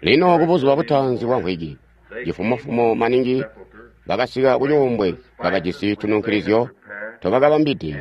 Lino kubuzuba butaanzi bwa mvwiki, cifumofumo maningi, bakasika kucuumbwe kabajisi tununkilizyo tobakabambide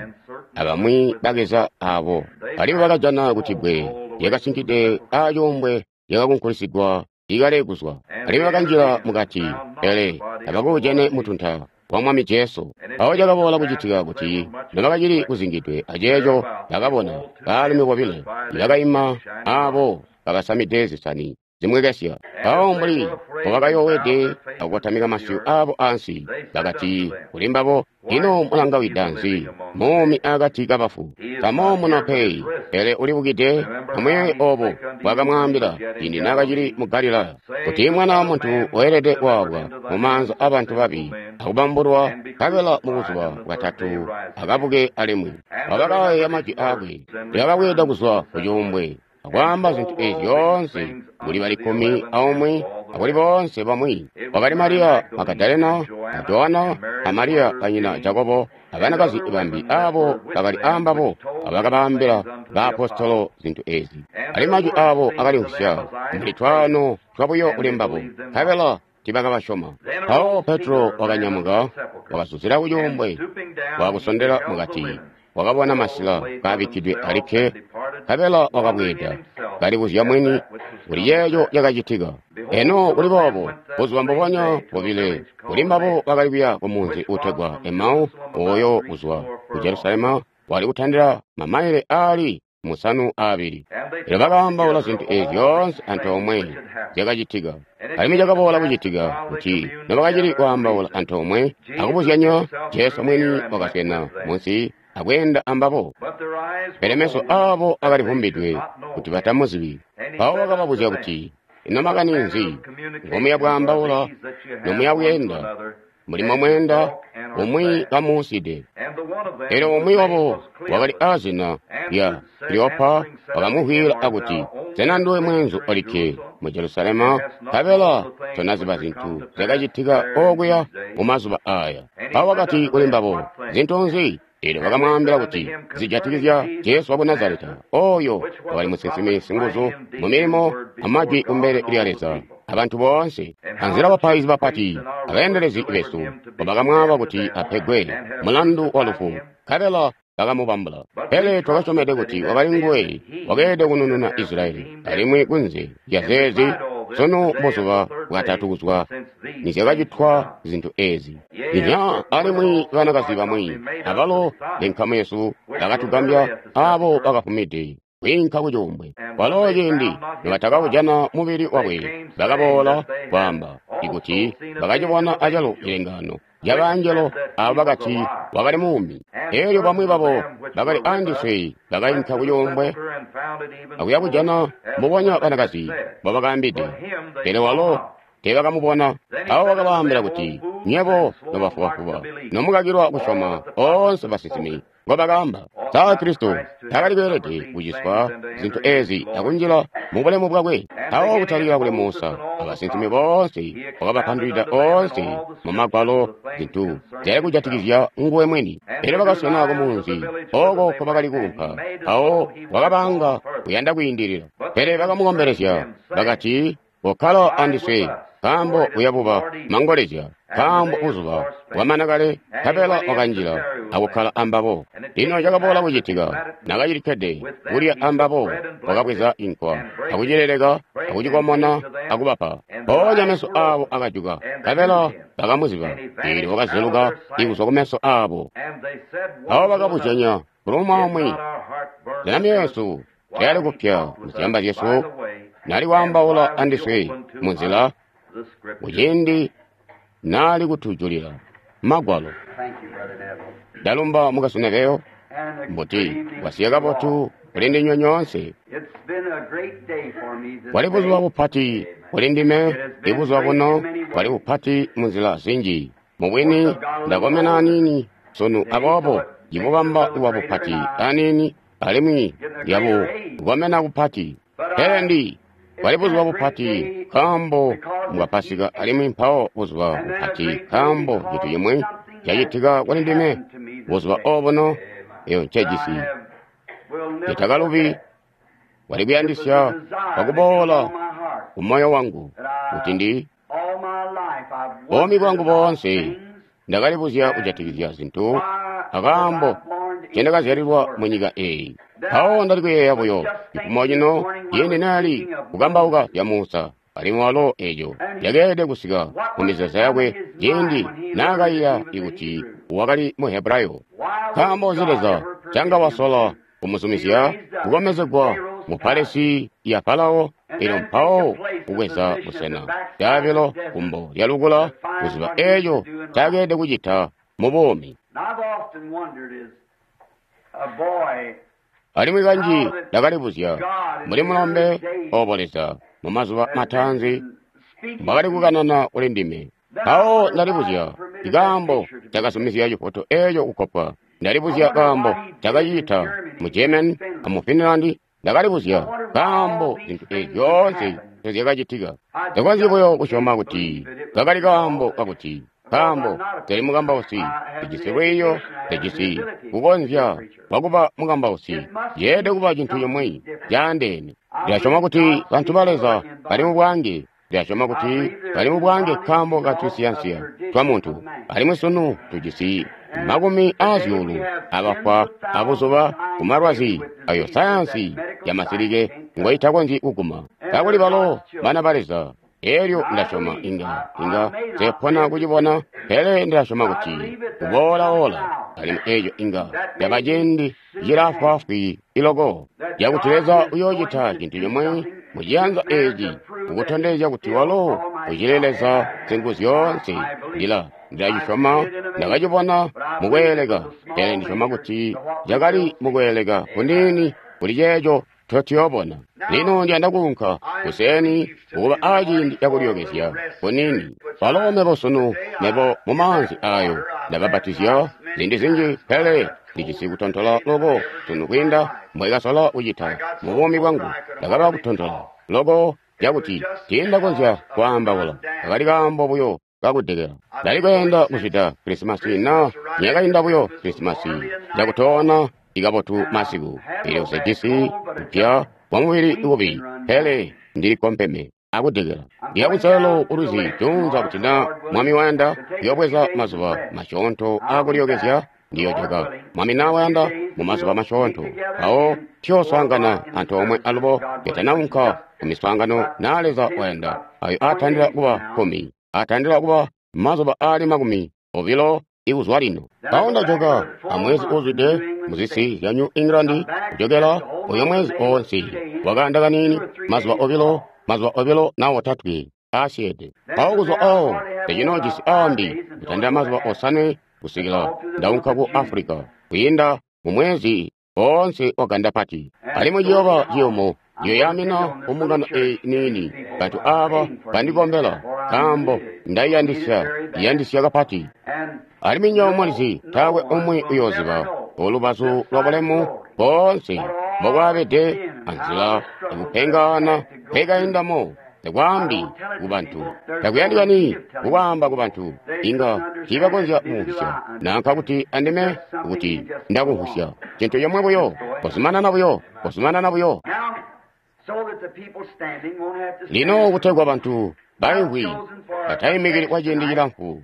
abamwi bakeza abo. Alimwi bakajana kuti bbwe lyakasinkide acuumbwe lyakakunkulisigwa ikale kuzwa. Alimwi bakanjila mukati, pele tabakuujene mutunta wa Mwami Jesu. Mpawo cakaboola kucitika kuti nobakacili kuzingidwe aceeco bakabona baalumi bobile ibakaima aabo bakasamide zisani zimwekesya. Mpawo mbuli mbobakayoowede akukotamika masyu aabo ansi, bakati kuli mbabo, Ino mulangawida nzi muumi akati kabafu? Tamoomuno pe, pele ulibukide. Amuyeeye oobo mbwaakamwaambila ciindi naakacili mu Galilaya, kuti Mwana wa Muntu weelede kwaabwa mumaanza aabantu babi akubambulwa, nkabela mubuzuba bwatatu akabuke alimwi. Abo bakayeeya majwi aakwe, bakabweeda kuzwa kucuumbwe akwaamba zintu eezi zyoonse kuli bali kkumi aumwi akuli boonse bamwi. Kwakali Mariya Magadalena, a Joana, a Mariya banyina Jakobo, abanakazi bambi aabo bakali aambabo abakabaambila baapostolo zintu eezi. Alimwi majwi aabo akalimvwisya mbuli twaano twabuyo kuli mbabo, nkabela tiibakabasyoma. Mpawo Petro wakanyamuka, wakazuzila kucuumbwe, waakusondela mukati, wakabona masila kaabikkidwe alikke, nkabela wakabweeda, kalibuzya mwini kuli ceeco cakacitika. Eno kuli boobo, buzuba mbubonya bobile kuli mbabo bakali kuya kumunzi uutegwa Emau, ooyo kuzwa ku Jelusalema wali kutandila mamaile aali 72. Elyo bakaambaula zintu eezi zyoonse antoomwe zyakacitika. Alimwi cakaboola kucitika kuti nobakacili kwaambaula antoomwe akubuzyanya, Jesu mwini wakaswena munsi akweenda ambabo. Pele meso aabo akalivumbidwe kuti batamuzibi. Mpawo wakababuzya kuti, Ino makani nzi ngomuya bwaambaula nomuya bweenda mbuli momweenda umwi kamuuside? Elyo umwi wabo wakali aazina lya Kleopa wakamuvwiila akuti, Sena nduwe mweenzu olikke mu Jelusalema, nkabela tonaziba zintu zyakacitika okuya mumazuba aaya? Mpawo wakati kuli mbabo, Zintu nzi? Eelyo bakamwaambila kuti zijatikizya Jesu waku Nazaleta, ooyo wakali musinsimi singuzu mumilimo amajwi kumbele lya Leza abantu boonse, anzila bapaizi bapati abeendelezi besu mbobakamwaaba kuti apegwe mulandu walufu, nkabela bakamubambula. Pele twakasyomede kuti wakali nguwe wakeelede kunununa Isilayeli, alimwi kunze lyazeezi, sunu mbuzuba bwatatu kuzwa nizyakacitwa zintu eezi. Inya alimwi banakazi bamwi abalo benkamu yesu bakatugambya aabo bakafumide kwiinka kucuumbwe. Kwalo ciindi nobatakaujana mubili wakwe, bakaboola kwaamba kuti bakacibona acalo cilengaano cabaangelo aabo bakati wakali muumi. Eelyo bamwi babo bakali aandiswe bakainka kucuumbwe akuya kujana mbubonya banakazi mbobakaambide, pele walo teebakamubona. Mpawo wakabaambila kuti, Nywebo nobafubafuba, nomukakilwa kusyoma oonse basinsimi ngobakaamba. Sa Kristo taakali kweelede kuciswa zintu eezi akunjila mubulemu bwakwe? Mpawo kutalikila kuli Musa abasinsimi boonse wakabapandulwida oonse mu Magwalo zintu zyali kujatikizya nguwe mwini. Elyo bakaswena kumunzi ooko nkobakali kuunka, mpawo wakabaanga kuyanda kwiindilila. Pele bakamukombelezya bakati, Kokkala andiswe, nkaambo kuya buba mangolezya, nkaambo buzuba bwamana kale. Nkabela wakanjila akukkala ambabo. Lino cakaboola kucitika, naakacilikkede kulya ambabo, wakabweza cinkwa akucileleka akucikomona akubapa. Mpoonya meso aabo akajuka, nkabela bakamuziba, eelyo wakazeluka kuzwa kumeso aabo. Mpawo bakabuzyanya kuli umwi aumwi, Sena myoyo yesu tayali kupya muzyamba zyesu nali kwaambaula andiswe munzila kuciindi naali kutujulila Magwalo? Ndalumba Mukwesu Neville. Mbuti kwasiya kabotu kuli ndinywe nyoonse. Bwali buzuba bupati kuli ndime, ibuzuba buno bwali bupati munzila zinji. Mubwini ndakomena aniini sunu, aboobo ndibubamba kuba bupati aniini alimwi lyabukomena kupati. Pele ndi bwali buzuba bupati nkaambo mbwa Pasika, alimwi mpawo buzuba bupati nkaambo cintu cimwi cacitika kuli ndime buzuba obuno eyo ncejisi ncetakalubi. Kwali kuyandisya kwakuboola ku moyo wangu, kuti ndi buumi bwangu boonse ndakalibuzya kujatikizya zintu akaambo ncendakazyalilwa mu nyika eeyi. Mpawo ndali kuyeeya buyo cifumo cino ciindi naali kukambauka zya Musa, alimwi walo eeco cakeelede kusika mu mizeezo yakwe ciindi naakaiya kuti wakali mu Hebrayo. Nkaambo nzi Leza canga wasola kumuzumizya kukomezegwa mu palesi ya Farao, elyo mpawo kubweza busena caabilo kumbo lya lukula kuziba eeco ncakeelede kucita mu buumi. Alimwi kanji ndakalibuzya mbuli mulombe obo Leza mu mazuba mataanzi mbwakali kukanana kuli ndime. Mpawo ndalibuzya ikaambo cakazumizya cifoto eeco kukkopwa. Ndalibuzya kaambo cakacita mu German amu Finland. Ndakalibuzya kaambo zintu eezi zyoonse ncozyakacitika. Takonzyi buyo kusyoma kuti kakali kaambo kakuti nkaambo tali mukambausi, tejisi lwiiyo, tejisi kukonzya kwakuba mukambausi. Yeelede kuba cintu cimwi caandeene. Ndilasyoma kuti bantu ba Leza bali mu bwaange. Ndilasyoma kuti bali mu bwaange nkaambo ka tunsiyansiya twa muntu. Alimwi sunu tujisi makumi aazyuulu abafwa abuzuba kumalwazi ayo sayansi ya masilike ngoitakonzyi kuguma. Kakuli balo bana ba Leza. Elyo ndasyoma inga nzepona kucibona, pele ndilasyoma kuti kuboola-oola, alimwi eeco inga caba ciindi cilaafwaafwi iloko, cakuti Leza uyoocita cintu cimwe muciyanza eeci kukutondezya kuti walo ucili Leza Singuzyoonse. Ndilacisyoma, ndakacibona mukweeleka, pele ndisyoma kuti cakali mukweeleka kuniini kuli ceeco totiyoobona. Lino ndiyanda kuunka kuseeni kukuba aaciindi cakulyookezya kuniini. Walo mebo sunu, mebo mumaanzi aayo ndabapatizya ziindi zinji, pele ndijisi kutontola loko sunu kwiinda mbwekasola kucita mu buumi bwangu. Ndakaba kutontola loko cakuti tiindakonzya kwaambaula. Kakali kaambo buyo kakudekela. Ndali kuyanda kuzwida Krisimasi na niyakainda buyo Krisimasi cakutoona ikabotu masiku. Elyo sejisi kupya kwa mubili kubi, pele ndili kompeme akudekela. Ndiya kunselelo kulwizi juunza kuti na Mwami wayanda kuyobweza mazuba masyoonto aakulyookezya, ndiyojoka. Mwami na wayanda mu mazuba masyoonto, mpawo tuyooswaangana antoomwe alubo ketanaunka ku miswaangano na Leza wayanda, ayo aatandila kuba 10, aatandila kuba mazuba aali 20 ikuzwa lino. Mpawo ndajoka amwezi uuzwide muzisi zya New England, kujokela uyo mwezi oonse wakaanda kaniini, mazuba obilo, mazuba obilo na otatwe aasyeede. Mpawo kuzwa awo tecinoojisi aambi kutandila mazuba 5 kusikila ndaunka ku Africa kwiinda mu mwezi oonse wa gandapati. Alimwi ciyooba ciyumu ndiyoyaamina kumbungano eyi niini. Bantu aaba bandikombela nkaambo ndaiyandisya, iyandisya kapati. Alimwi nywebo mulizi taakwe umwi uyooziba olubazu lwa bulemu boonse mbokwaabede anzila ikupengaana mpekaindamo. Takwaambi kubantu, takuyandikani kukwaamba kubantu, inga tiibakonzya kumvwisya, nanka kuti andime kuti ndakumvwisya. Cintu comwe buyo, kozumanana buyo, kozumanana buyo. Lino kutegwa bantu baimvwi bataimikili kwa ciindi cilamfu,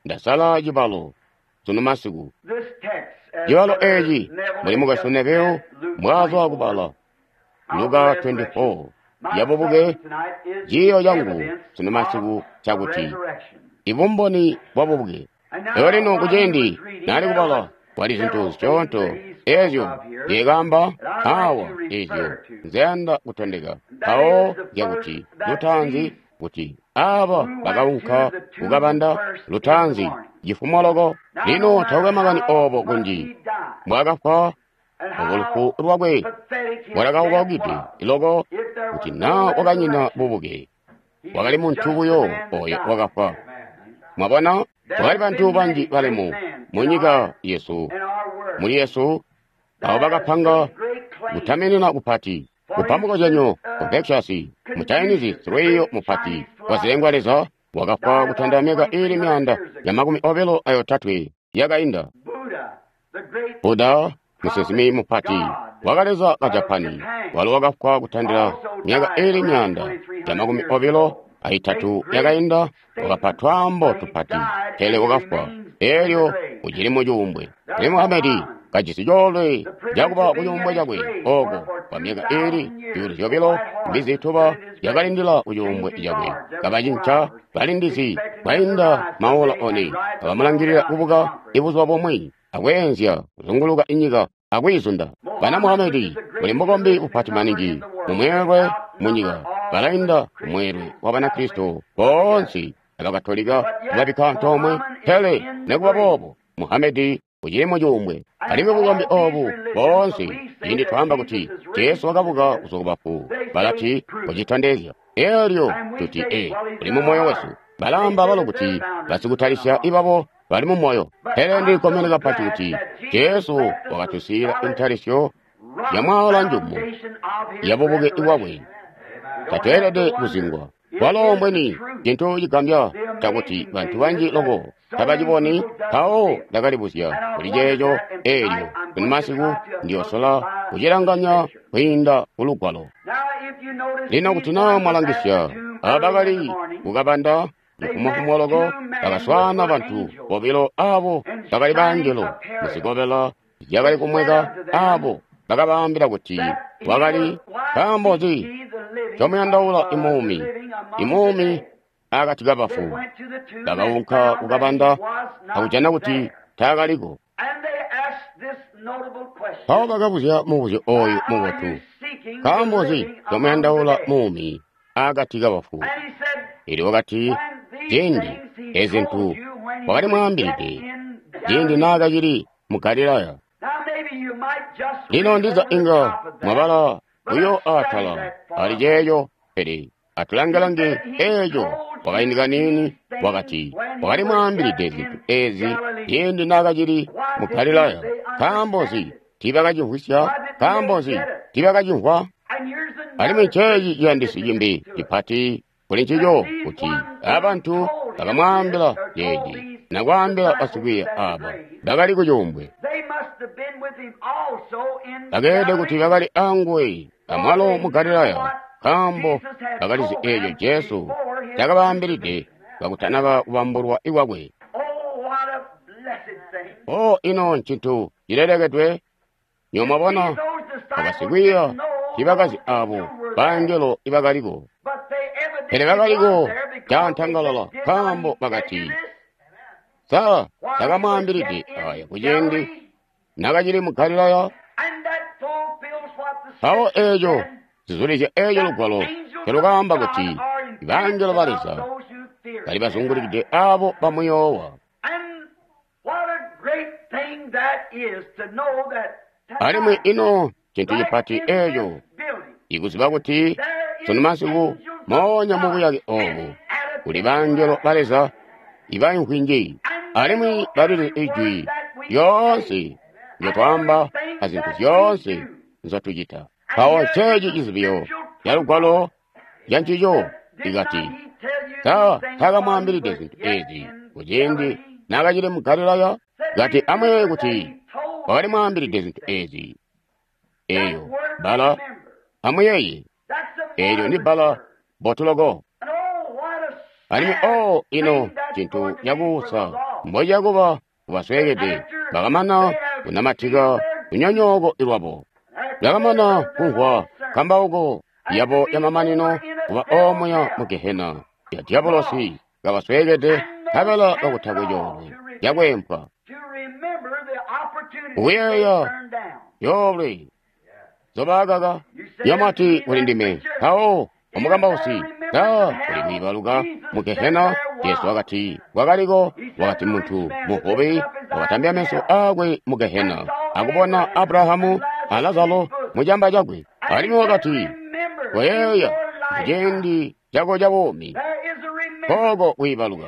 ndasala cibalo sunu masiku. Cibalo eeci muli mukwesu Neville mbwaazwa kubala Luka 24 yabubuke. Ciiyo cangu sunu masiku cakuti ibumboni bwa bubuke. Lero lino kuciindi naali kubala kwali zintu zisyoonto eezyo nzyekaamba awa eezyo nzeyanda kutondeka. Mpawo zyakuti lutaanzi kuti aaba bakaunka kukabanda lutaanzi cifumo loko. Lino taukwe makani oobo kunji mbwaakafwa obo lufu lwakwe bwalakaukide loko kuti naa wakanyina bubuke. Wakali muntu buyo oyo wakafwa. Mwabona, kwakali bantu banji balemu mu nyika yesu, muli Yesu, abo bakapanga kutamenena kupati. Kupa mukozyanyo, Confucius, mu Chinese silwiiyo mupati wa zilengwa leza, wakafwa kutanda myaka iili 223 yakainda. Buddha, musinsimi mupati wakaleza ka Japani, walo wakafwa kutandila myaka iili 223 yakainda, wakapa twaambo tupati, pele wakafwa, elyo ucili mucuumbwe. Pele Muhamedi kajisi coolwe cakuba kucuumbwe cakwe oko kwa myaka iili 2,000 mbizi tuba yakalindila kucuumbwe cakwe, kabacinca balindizi kwainda maola 4, kabamulangilila kubuka ibuzuba bumwi akweenzya kuzunguluka inyika akwiizunda. Bana Muhamedi buli mbukombi bupati maningi mumweelwe munyika, balainda mumweelwe wa Banakristo boonse abakatolika babikka antoomwe. Pele nikuba boobo Muhamedi ucili mucuumbwe. Alimwi bukombi obu boonse, ciindi twaamba kuti Jesu wakabuka kuzwa kubafu, balati kucitondezya. Elyo tuti e uli mu moyo wesu. Balaamba balo kuti basikutalisya ibabo bali mu moyo. Pele ndilikkomene kapati kuti Jesu wakatusiila intalisyo ya mwaala njumu ya bubuke bwakwe. Tatweelede kuzingwa. Walo mbweni cintu cigambya cakuti bantu banji loko tabaciboni. Mpawo ndakalibuzya kuli ceeco, eelyo kuni masiku ndiyosola kucilanganya kwiinda ku Lugwalo. Lino kuti naa mwalangisya, aba bakali kukabanda cifumofumo loko, bakaswaana bantu bobilo abo bakali bangelo muzikobela zyakali kumweka, abo bakabaambila kuti wakali nkaambo nzi ncomuyandaula imuumi, imuumi akati kabafu. Bakaunka kukabanda akujana kuti taakaliko. Mpawo bakabuzya mubuzyo ooyu mubotu, nkaambo nzi ncomuyandaula muumi akati kabafu? Elyo wakati, ciindi ezi zintu wakali mwaambilide ciindi naakacili mu Galilaya. Lino ndiza inga mwabala buyo atala ali ceeco, pele atulange-lange eeco. Kwakaindi kaniini wakati, wakali mwaambilide zintu ezi ciindi naakacili mu Galilaya. Nkaambo nzi tiibakacimvwisya? Nkaambo nzi tiibakacimvwa? Alimwi nceeci ciyandisi cimbi cipati kuli ncico, kuti abantu bakamwaambila ceeci nakwaambila basikwiiya aaba bakali kucuumbwe. Bakeelede kuti bakali anguwe amwalo mu Galilaya, nkaambo bakalizi eeco Jesu cakabaambilide kakutanaba kubambulwa ikwakwe. O ino ncintu cilelekedwe! Nywebo abasikwiiya tiibakazi abo bangelo ibakaliko, pele bakaliko caantangalala, nkaambo bakati, sa takamwaambilide aya kuciindi nakacili mu Galilaya? Mpawo eeco zizulizya eeco Lugwalo ncelukaamba kuti bangelo ba Leza bali bazungulikide abo bamuyoowa. Alimwi ino cintu cipati eeco ikuziba kuti sunu masiku moonya mubuyake oobu kuli bangelo ba Leza ibaimvwi nji, alimwi balili ijwi lyoonse ndyotwaamba azintu zyoonse nzyotucita. Mpawo nceeci cizibyo ca Lugwalo lyancico ikati, sa takamwaambilide zintu ezi kuciindi naakacili mu Galilaya? Kati amuyeeye kuti wakali mwaambilide zintu ezi. Eeyo bbala amuyeeye, eelyo ndi bbala bbotu loko. Alimwi o ino cintu cakuusa mbocakuba kubasweekede bakamana kunamatika lunyonyooko lwabo, bakamana kumvwa nkambauko yabo yamamanino kuba omuya mu Gehena ya dyabolosi, kabasweekede nkabela kakutakwe coolwe cakweempwa. Kuyeeya coolwe nzobaakaka yamati kuli ndime, mpawo omukambausi sa kuli kwiibaluka mu Gehena? Jesu wakati kwakaliko, wakati muntu muvubi wakatambya meso aakwe mu Gehena akubona Abrahamu a Lazaro mucamba cakwe. Alimwi wakati, koyeeya muciindi cako ca buumi, kooko kwiibaluka.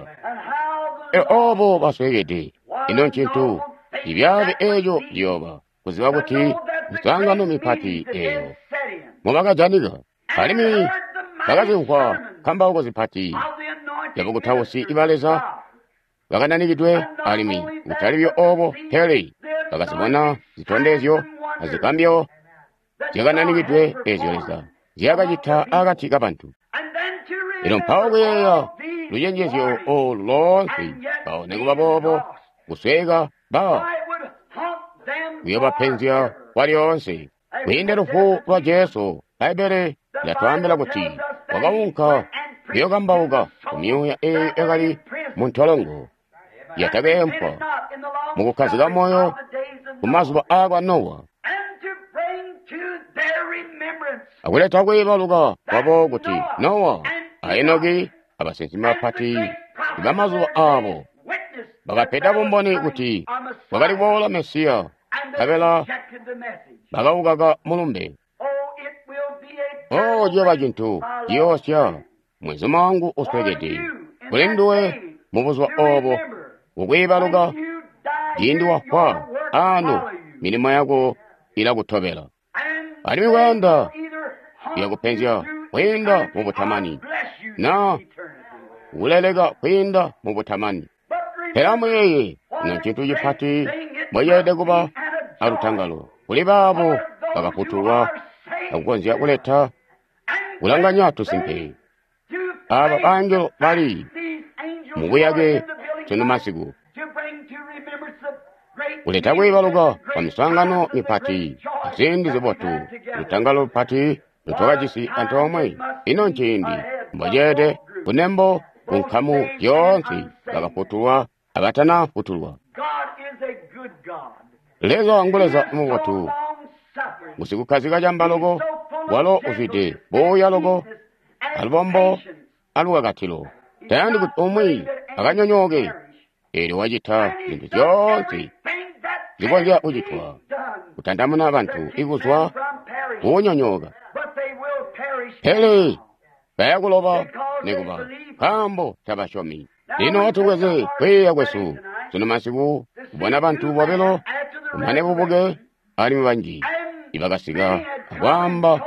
Obo basweekede, ino ncintu cibyaabi eeco ciyooba kuziba kuti miswaangano mipati eeyo mubakajanika, alimwi bakazimvwa nkambauko zipati zyabukutausi iba Leza bakananikidwe, alimwi kutali buyo obo, pele bakazibona zitondezyo azigambyo zyakananikidwe ezyo Leza zyakacita akati kabantu. Elyo mpawo kuyeeya lucenjezyo olu loonse, mpawo nikuba boobo kusweeka ba kuyobapenzya kwalyoonse. Kwiinda lufu lwa Jesu, Bbaibbele lyatwaambila kuti wakaunka kuyokambauka kumyuuya eeyo yakali mu ntolongo yatakeempwa mukukkazika moyo kumazuba aakwa Nowa, akuleta kwiibaluka kwabo kuti Nowa a Enoki abasinsimi bapati bamazuba aabo bakapeda bumboni kuti kwakali kuboola Mesiya, nkabela bakawukaka mulumbe. Oh, ciyooba cintu ciyoosya, mwenzuma wangu uswekede, kuli nduwe mubuzuba oobo kukwiibaluka ciindi wafwa ano milimo yako ilakutobela. Alimwi kuyanda iyakupenzya kwiinda mubutamani, na kuleleka kwiinda mubutamani. Pele amuyeeye, ino ncintu cipati mweelede kuba alutangalo kuli baabo bakafutulwa akukonzya kuleta kulanganya tusimpe. Aaba bangelo bali mubuyake sunu masiku, kuleta kwiibaluka kwa miswaangano mipati aziindi zibotu, lutangalo lupati lutwakajisi antoomwe. Ino nciindi mboceede kunembo ku nkamu zyoonse bakafutulwa abatanafutulwa. Leza ngu Leza mubotu, usikukkazika camba loko, walo uzwide buuya loko, alubombo alukakatilo. Tayandi kuti umwi akanyonyooke, eelyo wacita zintu zyoonse zikonzya kucitwa kutandamuna bantu ikuzwa kukunyonyooka. Pele bayakuloba nikuba nkaambo tabasyomi. Lino atubweze kwiiya kwesu sunu masiku kubona bantu bobilo kumane bubuke alimwi banji ibakasika akwaamba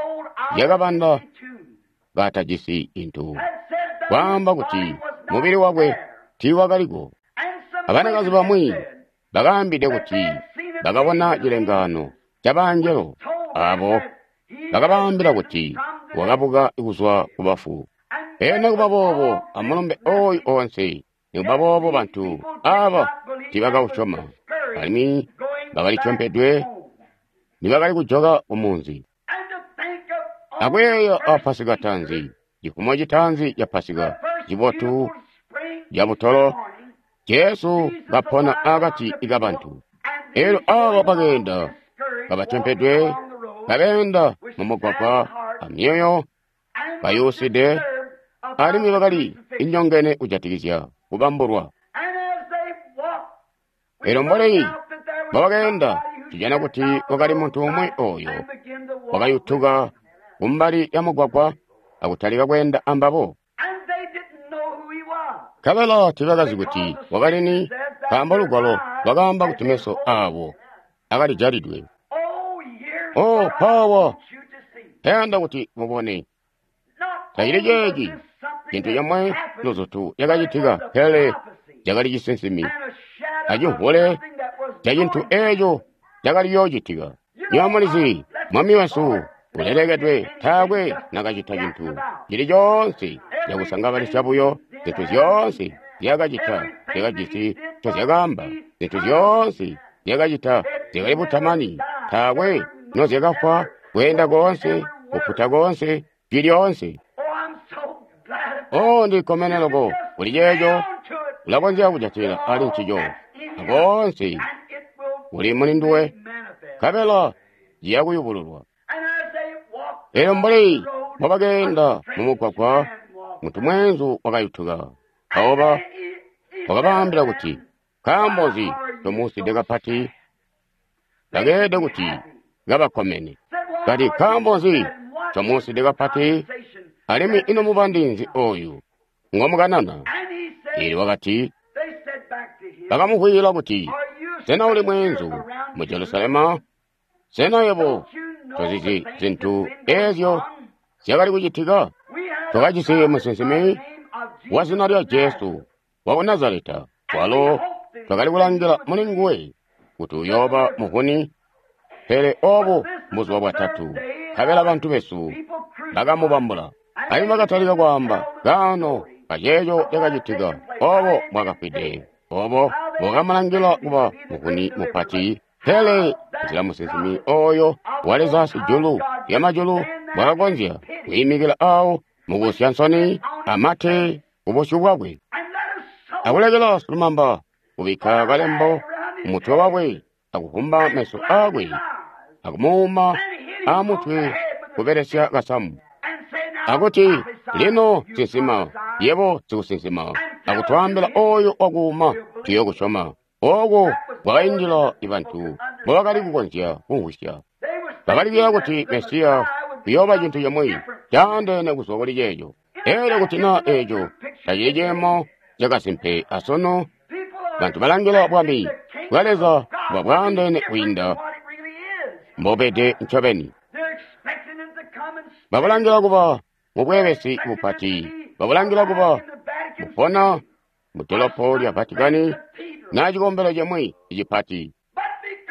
zyakabanda katajisi intu, kwaamba kuti mubili wakwe tiiwakaliko. Abanakazi bamwi bakaambide kuti bakabona cilengaano cabangelo aabo bakabaambila kuti wakabuka kuzwa kubafu. Pele nikuba boobo amulumbe ooyu oonse, nikuba boobo bantu aaba tiibakausyoma, alimwi bakalityompedwe nibakali kujoka kumunzi. Akuyeeya a Pasika taanzi, cifumo citaanzi ca Pasika cibotu cabutolo, Jesu kapona akati kabantu. Eelyo aaba bakeenda kabatyompedwe, kabeenda mumugwagwa amyoyo kayuuside, alimwi bakali inyongene kujatikizya kubambulwa. Eelyo mboli mbobakeenda, tujana kuti kwakali muntu umwi ooyo wakayutuka kumbali ya mugwagwa akutalika kweenda ambabo. Nkabela tiibakazi kuti wakali ni, nkaambo lugwalo lwakaamba kuti meso aabo akalijalidwe. Oh, pawa tayanda kuti mubone. Tacili ceeci cintu comwe luzutu cakacitika, pele cakali cisinsimi acimvule ca cintu eeco cakali yoocitika. Nywebo mulizi, Mwami wesu ulelekedwe taakwe nakacita cintu cili coonse cakusangabalisya buyo. Zintu zyoonse zyakacita zyakajisi ncozyakaamba, zintu zyoonse zyakacita zyakali butamani, taakwe nozyakafwa, kweenda koonse, kuputa koonse, jwi lyoonse. Oh, ndikkomene loko kuli ceeco, ulakonzya kujatilila ali ncico, akoonse kuli muli nduwe, nkabela ciya kuyubululwa. Eelyo mbuli mbobakeenda mumugwagwa, muntu mweenzu wakayutuka. Mpawo wakabaambila kuti, nkaambo nzi ncomuuside kapati? Bakeelede kuti kabakkomene. Kati, nkaambo nzi ncomuuside kapati? Alimwi ino mubandi nzi ooyu ngomukanana? Eelyo wakati, bakamuvwiila kuti, sena uli mweenzu mu Jelusalema? Sena yebo tozizi zintu eezyo zyakali kucitika? Twakajisi musinsimi wa zina lya Jesu waku Nazareta, walo twakali kulangila muli nguwe kuti uyooba muvuni, pele oobu buzuba bwatatu, nkabela bantu besu bakamubambula. Alimwi bakatalika kwaamba kaano kaceeco cakacitika, obo bwakafwide, obo bwakamulangila kuba muvuni mupati. Pele nzila musinsimi oyo wa Leza sijulu lyamajulu bwakakonzya kwiimikila awo mukusya nsoni amate kubusyu bwakwe, akulekela silumamba kubikka kalembo kumutwe wakwe, akuvumba meso akwe, akumuuma amutwe kubelesya kasamu, akuti, lino sinsima, yebo sikusinsima, akutwaambila oyo wakuuma tuyokusyoma. Oko kwakaindila bantu mbobakali kukonzya kumvwisya. Bakali kuyeeya kuti Mesiya kuyooba cintu cimwi caandeene kuzwa kuli ceeco. Elyo kuti naa eeco tacili ciimo cakasimpe asunu, bantu balangila bwami bwa Leza kuba bwaandeene kwiinda mbobede ncobeni. Babulangila kuba mubweebesi bupati, babulangila kuba mupona mu dolopo lya Vatikani na cikombelo cimwi cipati.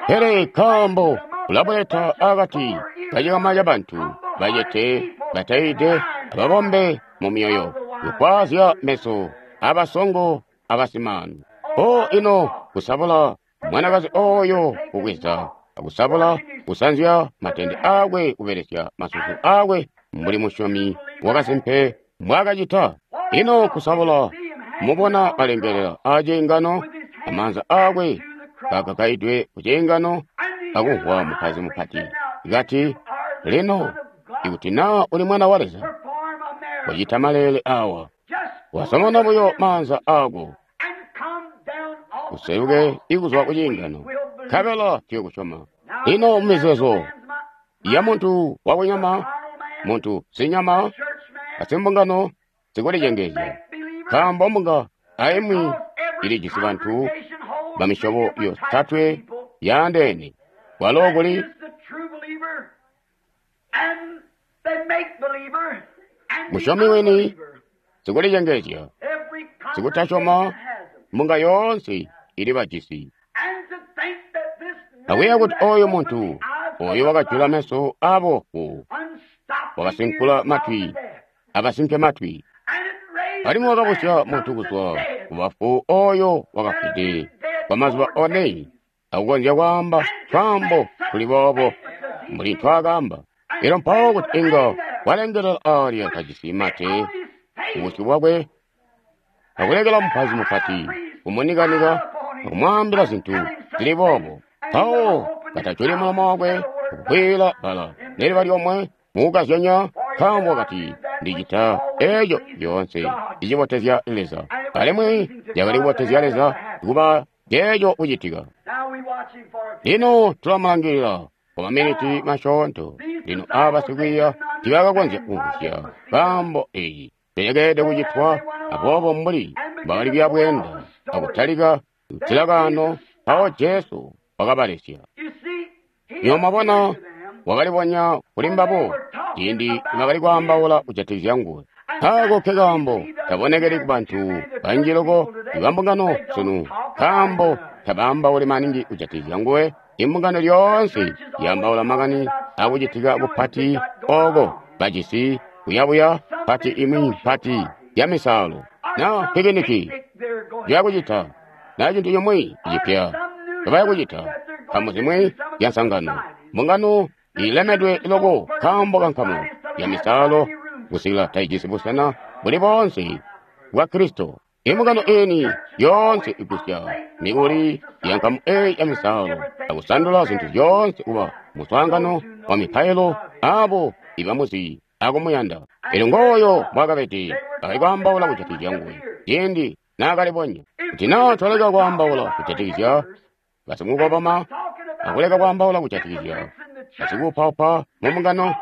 Pele nkaambo ulabuleta akati kacikama cabantu bacete, batayiide, ababombe mu myoyo, kufwaazya meso abasongo abasimaanu. O ino kusabula mwanakazi oyo kubweza, akusabula kusanzya matende akwe kubelesya masusu akwe mbuli musyomi wakasimpe mbwaakacita. Ino kusabula mubona kalengelela aciingano, amaanza akwe kakakaidwe ku ciingano, akumvwa mupaizi mupati kati, lino ikuti naa uli mwana wa Leza, wacita maleele awa, wasomona buyo maanza ako, useluke ikuzwa ku ciingano, nkabela tuyokusyoma. Lino mumizeezo ya muntu wakunyama, muntu sinyama, asimbungano sikulicengezya, nkaambo mbunga aimwi ilijisi bantu bamisyobo yotatwe yaandeene, kwalo kuli musyomi wini, sikulicengezya, sikutasyoma, mbunga yoonse ili bajisi. Akuyeeya kuti oyo muntu oyo wakajula meso aboofu, wakasinkula matwi abasinke matwi, alimwi wakabusya muntu kuzwa kubafu oyo wakafwide kwa mazuba one, akukonzya kwaamba twaambo tuli boobo mbuli ntwaakaamba. Elyo mpawo kuti inga walengelela aalya kajisi mate kubusyu bwakwe, akulekela mupaizi mupati kumunikanika akumwaambila zintu zili boobo, mpawo katajuli mulomo wakwe akukwiila bbala neliba lyomwe mukukazyanya, nkaambo wakati, ndicita eeco lyoonse icibotezya Leza, alimwi cakali kubotezya Leza kuba ceeco kucitika. Lino tulamulangilila kwa maminiti masyoonto. Lino aba basikwiiya tiibakakonzya kumvwisya kaambo eeci pele kucitwa, aboobo mbuli mbakali kuya bweenda akutalika kutilakaano, mpawo Jesu wakabalesya. Lino mwabona, wakalibonya kuli mbabo ciindi nibakali kwaambaula kujatikizya nguwe. Ako ke kaambo tabonekeli kubantu banji loko ibambungano sunu, nkaambo tabaambauli maningi kujatikizya nguwe. Imbungano lyoonse yaambaula makani akucitika kupati oko bajisi kuyabuya pati imwi mpati ya misaalo na pikiniki yakucita na cintu cimwi cipya bayakucita nkamu zimwi ya nsangano. Mbungano ilemedwe loko nkaambo ka nkamu ya misaalo kusikila taijisi busena buli boonse bwa Kristo. Imbungano ini yoonse igusya mikuli ya nkamu eyi ya misaalo akusandula zintu zyoonse kuba muswaangano wa mipailo abo ibamuzi akumuyanda. Elyo ngooyo mbwaakabede bakali kwaambaula kujatikizya nguwe ciindi naakalibonya. Kuti naa twaleka kwaambaula kujatikizya basimukoboma akuleka kwaambaula kujatikizya basikuupaupa mumbungano,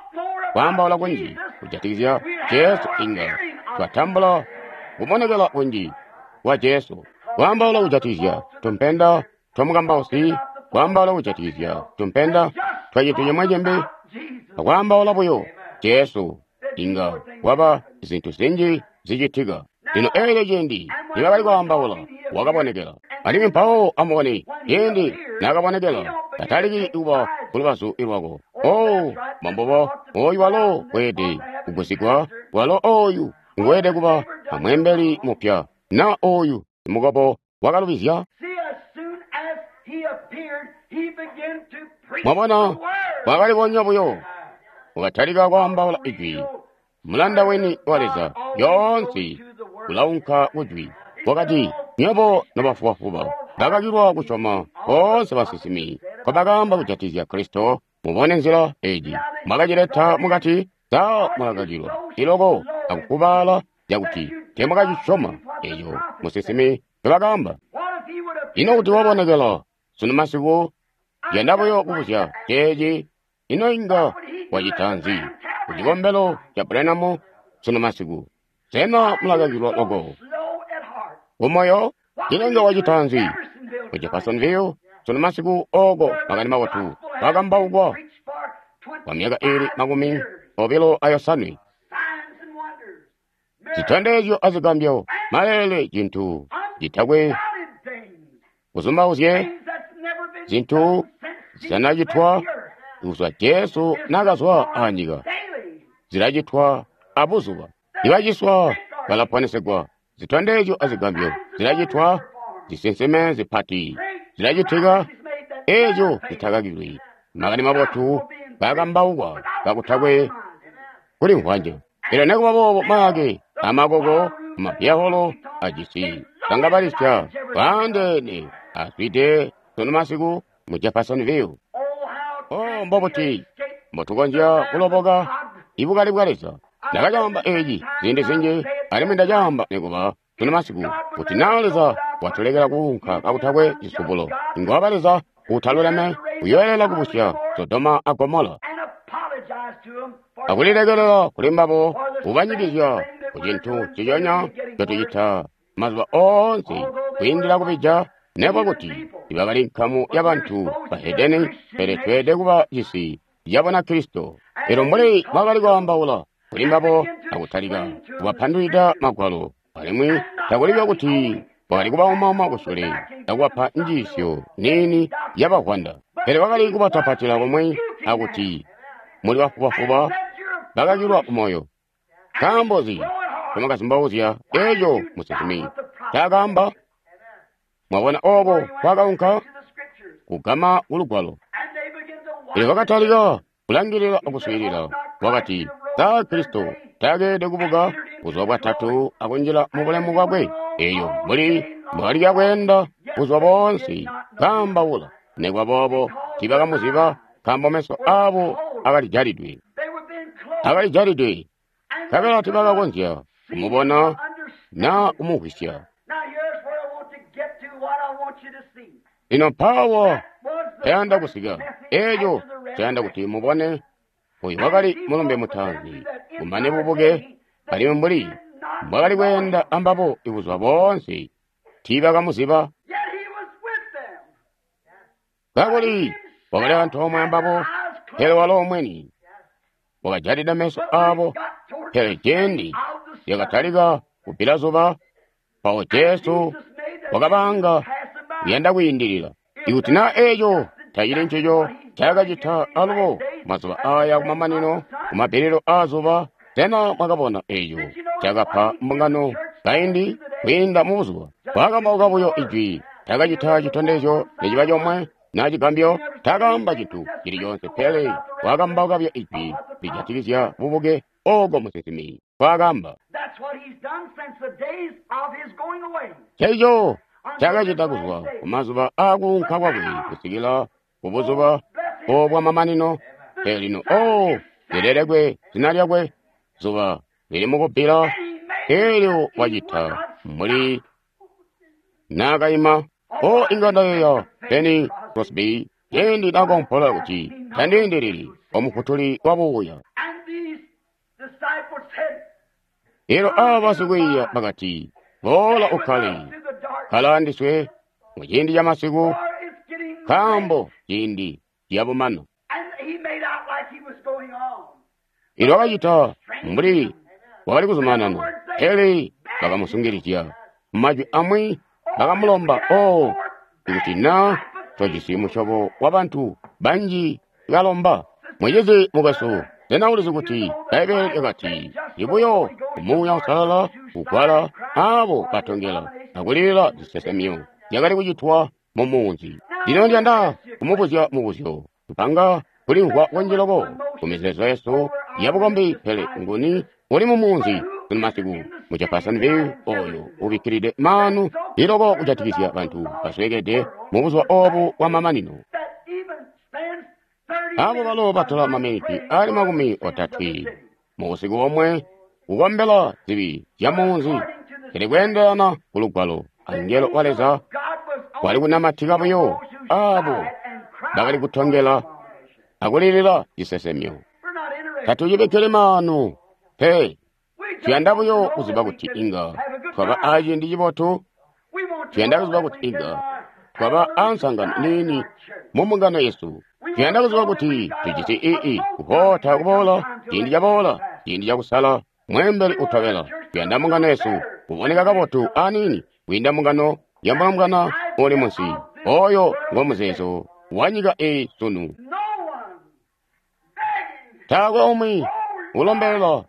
kwaambaula kunji kujatikizya Jesu, inga twatambula kubonekela kunji kwa Jesu. Kwaambaula kujatikizya tumpenda twamukambausi, kwaambaula kujatikizya tumpenda twa cintu cimwi cimbi, akwaambaula buyo Jesu, inga kwaba zintu zinji zicitika. Lino eelyo ciindi nibakali kwaambaula, wakabonekela. Alimwi mpawo amubone, ciindi naakabonekela, tataliki kuba kulubazu lwako. Oh, mbombubo, oyu walo weelede kugusigwa, walo oyu nguweelede kuba amweembeli mupya, na oyu simukobo wakalubizya. Mwabona, wakalibonya buyo, wakatalika kwaambaula ijwi. Mulanda weni wa Leza lyoonse ulaunka kujwi. Wakati, nywebo nobafubafuba, bakakilwa kusyoma boonse basinsimi nkobakaamba kujatizya Kristo. Mubone nzila eji mwakacileta mukati, sa mwakakilwa iloko akukubaala cakuti teemwakacisyoma eco musinsimi ncobakaamba. Ino kuti wabonekela sunu masiku, yanda buyo kubuzya ceeci, ino inga wacita nzi ku cikombelo ca Branham sunu masiku? Sena mulakakilwa loko kumoyo? Ino inga wacita nzi ku Jeffersonville sunu masiku oko makani mabotu kakambaukwa kwa myaka iili 25, zitondezyo azigambyo, maleele, cintu citakwe kuzumbauzye, zintu zitanacitwa kuzwa Jesu nakazwa anyika, zilacitwa abuzuba. Ibaciswa balaponesegwa, zitondezyo azigambyo zilacitwa, zisinsime zipati zilacitika, eeco zitakakilwi. Makani mabotu kakambaukwa kakutakwe kulimvwanje. Pele nekuba boobo mayake amakoko amapyaholo ajisi sangabalisya bwaandeene azwide sunu masiku mu Jeffersonville. Oh, mbobuti mbotukonzya kuloboka ibukali bwa Leza. Ndakacaamba eeci ziindi zinji, alimwi ndacaamba nikuba sunu masiku, kuti naa Leza watulekela kuunka kakutakwe cisubulo, inga waba Leza utaluleme uyoelela kubusya Sodoma a Gomola akulilekelela kuli mbabo, kubanyikizya ku cintu nciconya ncotucita mazuba oonse kwiindila kubija, nekuba kuti ibakali nkamu yabantu bahedeni, pele tweelede kuba cisi ca Bunakristo. Elyo mbuli bakali kwaambaula kuli mbabo akutalika kubapandulwida Magwalo, alimwi takuli kuti bakali kubaumauma kusule akubapa njiisyo niini yabavwanda, pele bakali kubatapatila komwe akuti muli bafubafuba bakakilwa kumoyo. Nkaambo nzi ncomwakazumbauzya eeco musinsimi ncaakaamba? Mwabona ooko kwakaunka kugama kulugwalo. Elyo bakatalika kulangilila akuswiilila. Wakati, sa Kristo taakeelede kubuka buzuba bwatatu akunjila mu bulemu bwakwe? Eyo mbuli mbwakali kweenda buzuba boonse kaambaula. Nekuba boobo tiibakamuziba, nkaambo meso aabo akalijalidwe. Akalijalidwe, nkabela tiibakakonzya kumubona naa kumumvwisya. Lino mpaawa mpeyanda kusika, eeco ncayanda kuti mubone. Oyu wakali mulumbe mutaanzi kumane bubuke, alimwi mbuli mbwakali kweenda ambabo ibuzuba boonse tiibakamuziba. Kakuli wakali antoomwe ambabo, pele walo mweni wakajalida meso aabo. Pele ciindi lyakatalika kubbila zuba, mpawo Jesu wakabaanga kuyanda kwiindilila. Ikuti naa eeco tacili ncico ncaakacita alubo mazuba aaya kumamanino, kumabbililo aazuba, sena mwakabona eeco cakapa mbungano kaindi kwiinda mubuzuba? Wakakambauka buyo ijwi, taakacita citondezyo neciba comwe naa cigambyo, taakaamba cintu cili coonse, pele wakakambauka buyo ijwi lijatikizya bubuke ooko musinsimi nkwaakaamba. Nceeco ncaakacita kuzwa kumazuba aakuunka kwakwe kusikila kubuzuba obwamamanino. Pele lino, oh, lilelekwe zina lyakwe, zuba lili mukubbila, eelyo wacita mbuli naakaima. Oh, inga ndayeeya Benny Crosby ciindi naakaompola kuti tandiindilili omufutuli wabuuya. Elyo aaba basikwiiya bakati, boola ukkale, kkala andiswe muciindi camasiku, nkaambo ciindi ciyabumana. Elyo wakacita mbuli wakali kuzumanana, pele bakamusungilizya. Mumajwi amwi bakamulomba, oh, ikuti naa tojisi musyobo wabantu banji kalomba. Mucizi mukwesu, sena ulizi kuti Bbaibbele lyakati ibuyo Muuya Uusalala kugwala abo batongela akulilila zisesemyo zyakali kucitwa mu munzi. Lino ndiyanda kumubuzya mubuzyo. Tupanga kulimvwa kunji loko ku mizeezo yesu yabukombi, pele nguni uli mu munzi sunu masiku mu Jeffersonville oyo ubikkilide maanu iloko kujatikizya bantu basweekede mu buzuba obu bwamamanino? Abo balo batola maminiti ali 30 mu busiku bomwe kukombela zibi zya munzi, pele kweendelana ku Lugwalo, angelo wa Leza wali kunamatika buyo abo bakali kutongela akulilila cisesemyo. Tatucibikkili maanu pe. Tuyanda buyo kuziba kuti inga twaba aciindi cibotu. Tuyanda kuziba kuti inga twaba ansangano niini mu mbungano yesu. Tuyanda kuziba kuti tujisi ii kuhoota kuboola, ciindi caboola, ciindi cakusala mweembeli utobela. Tuyanda mbungano yesu kuboneka kabotu aniini kwiinda mbungano ya mulombwana uli munsi. Oyo ngo muzeezo wa nyika eyi sunu. Taakwe umwi ulombelela,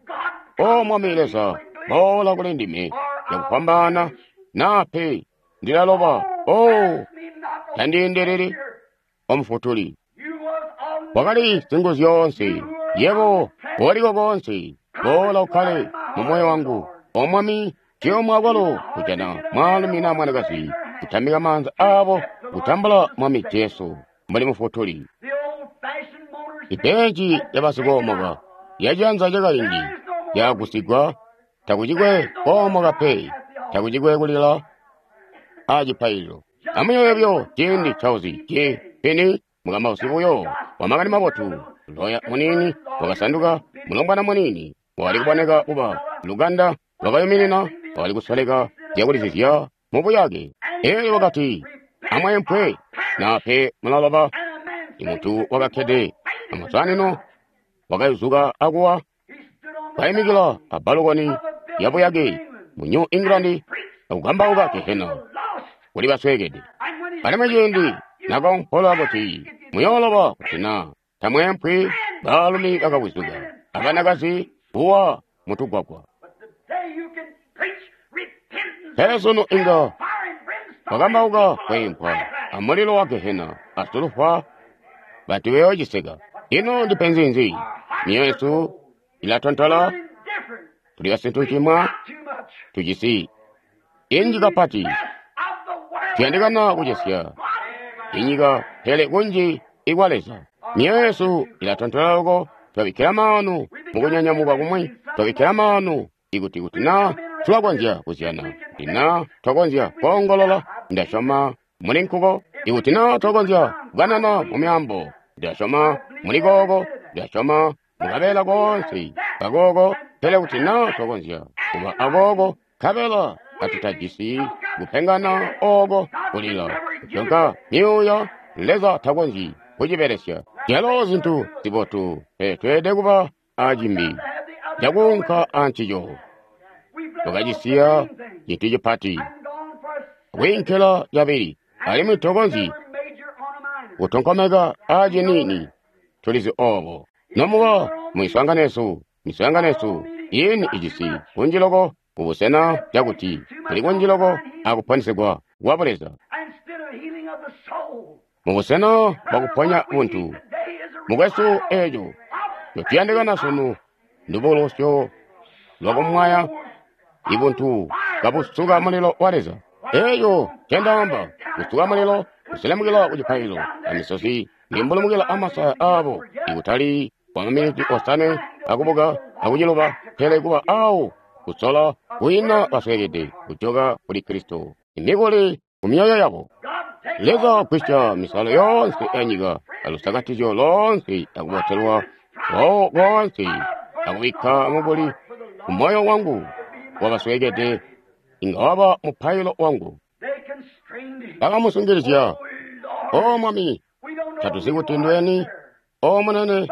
O Mwami Leza, boola kuli ndime cakufwambaana, naa pe ndilaloba. O tandiindeleli, O Mufutuli. Wakali Singuzyoonse, yebo woliko koonse, boola ukkale mu moyo wangu. O Mwami, ciyomwa kwalo kujana mwaalumi naa mwanakazi kutambika maanza aabo kutambula Mwami Jesu mbuli Mufutuli. Ibeji lyabasikoomoka lyacianza cakaindi lyagusigwa, takucikwe koomoka pe, takucikwe kulila acipaililo. Amuyeeye buyo ciindi Charles J. Finney, mukambausi buyo wa makani mabotu, loya muniini wakasanduka mulombwana muniini wakali kuboneka kuba lukanda lwakayuminina, wakali kusoleka zyakulizizya mu buyake. Elyo wakati, amweempwe naa pe mulaloba. Imuntu wakakkede amasanino wakayuzuka akuwa, kaimikila abalukoni ya buyake mu New England akukambauka gehena kuli basweekede. Alimwi ciindi nakaompola kuti muyooloba kuti naa tamweempwi, baalumi bakawizuka abanakazi kuwa mutugwagwa. Pele sunu inga wakambauka kweempwa amulilo wa gehena asulufa, bantu bayoociseka. Ino ndipenzi nzi? Myoyo yesu ilatontola, tuli basintucimwa, tujisi inji kapati. Tuyandikana kucesya inyika, pele kunji ikwa Leza. Myoyo yesu ilatontola loko, twabikkila maanu mukunyanyamuka kumwi, twabikkila maanu ikuti kuti naa tulakonzya kuzyana, kuti naa twakonzya koongolola, ndasyoma muli nkuko. Ikuti naa twakonzya kukanana mu myaambo, ndasyoma muli kooko, ndasyoma mukabeela koonse kakooko. Pele kuti naa twakonzya kuba akooko, nkabela katutajisi kupengana ooko kulila, kutyonka myuuya, Leza takonzyi kucibelesya. Zyalo zintu zibotu, pele tweelede kuba acimbi cakuunka ancico. Twakacisiya cintu cipati kwiinkila cabili, alimwi tokonzyi kutonkomeka aaciniini. Tulizi oobo. Nomuba mu miswaangano yesu iini ijisi kunji loko kubusena cakuti kuli kunji loko akuponesegwa kwa Buleza. Mubusena bwakuponya buntu, mukwesu, eeco ncotuyandikana sunu ndubukulusyo lwakumwaya ibuntu kabusuka mulilo wa Leza. Eeco ncendaamba, kusuka mulilo, kuselemukila ku cipaililo, amisozi nimbulumukila amasaya aabo, ikutali kwa maminiti 5 akubuka akuciluba, pele kuba awo kusola kwiina basweekede kujoka kuli Kristo, imikuli ku myoyo yabo. Leza gwisya misalo yoonse ya nyika alusakatizyo loonse akubotelwa kwawo koonse akubikka mukuli ku moyo wangu wabasweekede, inga waba mupailo wangu. Bakamusungilizya, O Mwami, tatuzi kuti ndweni, O Munene,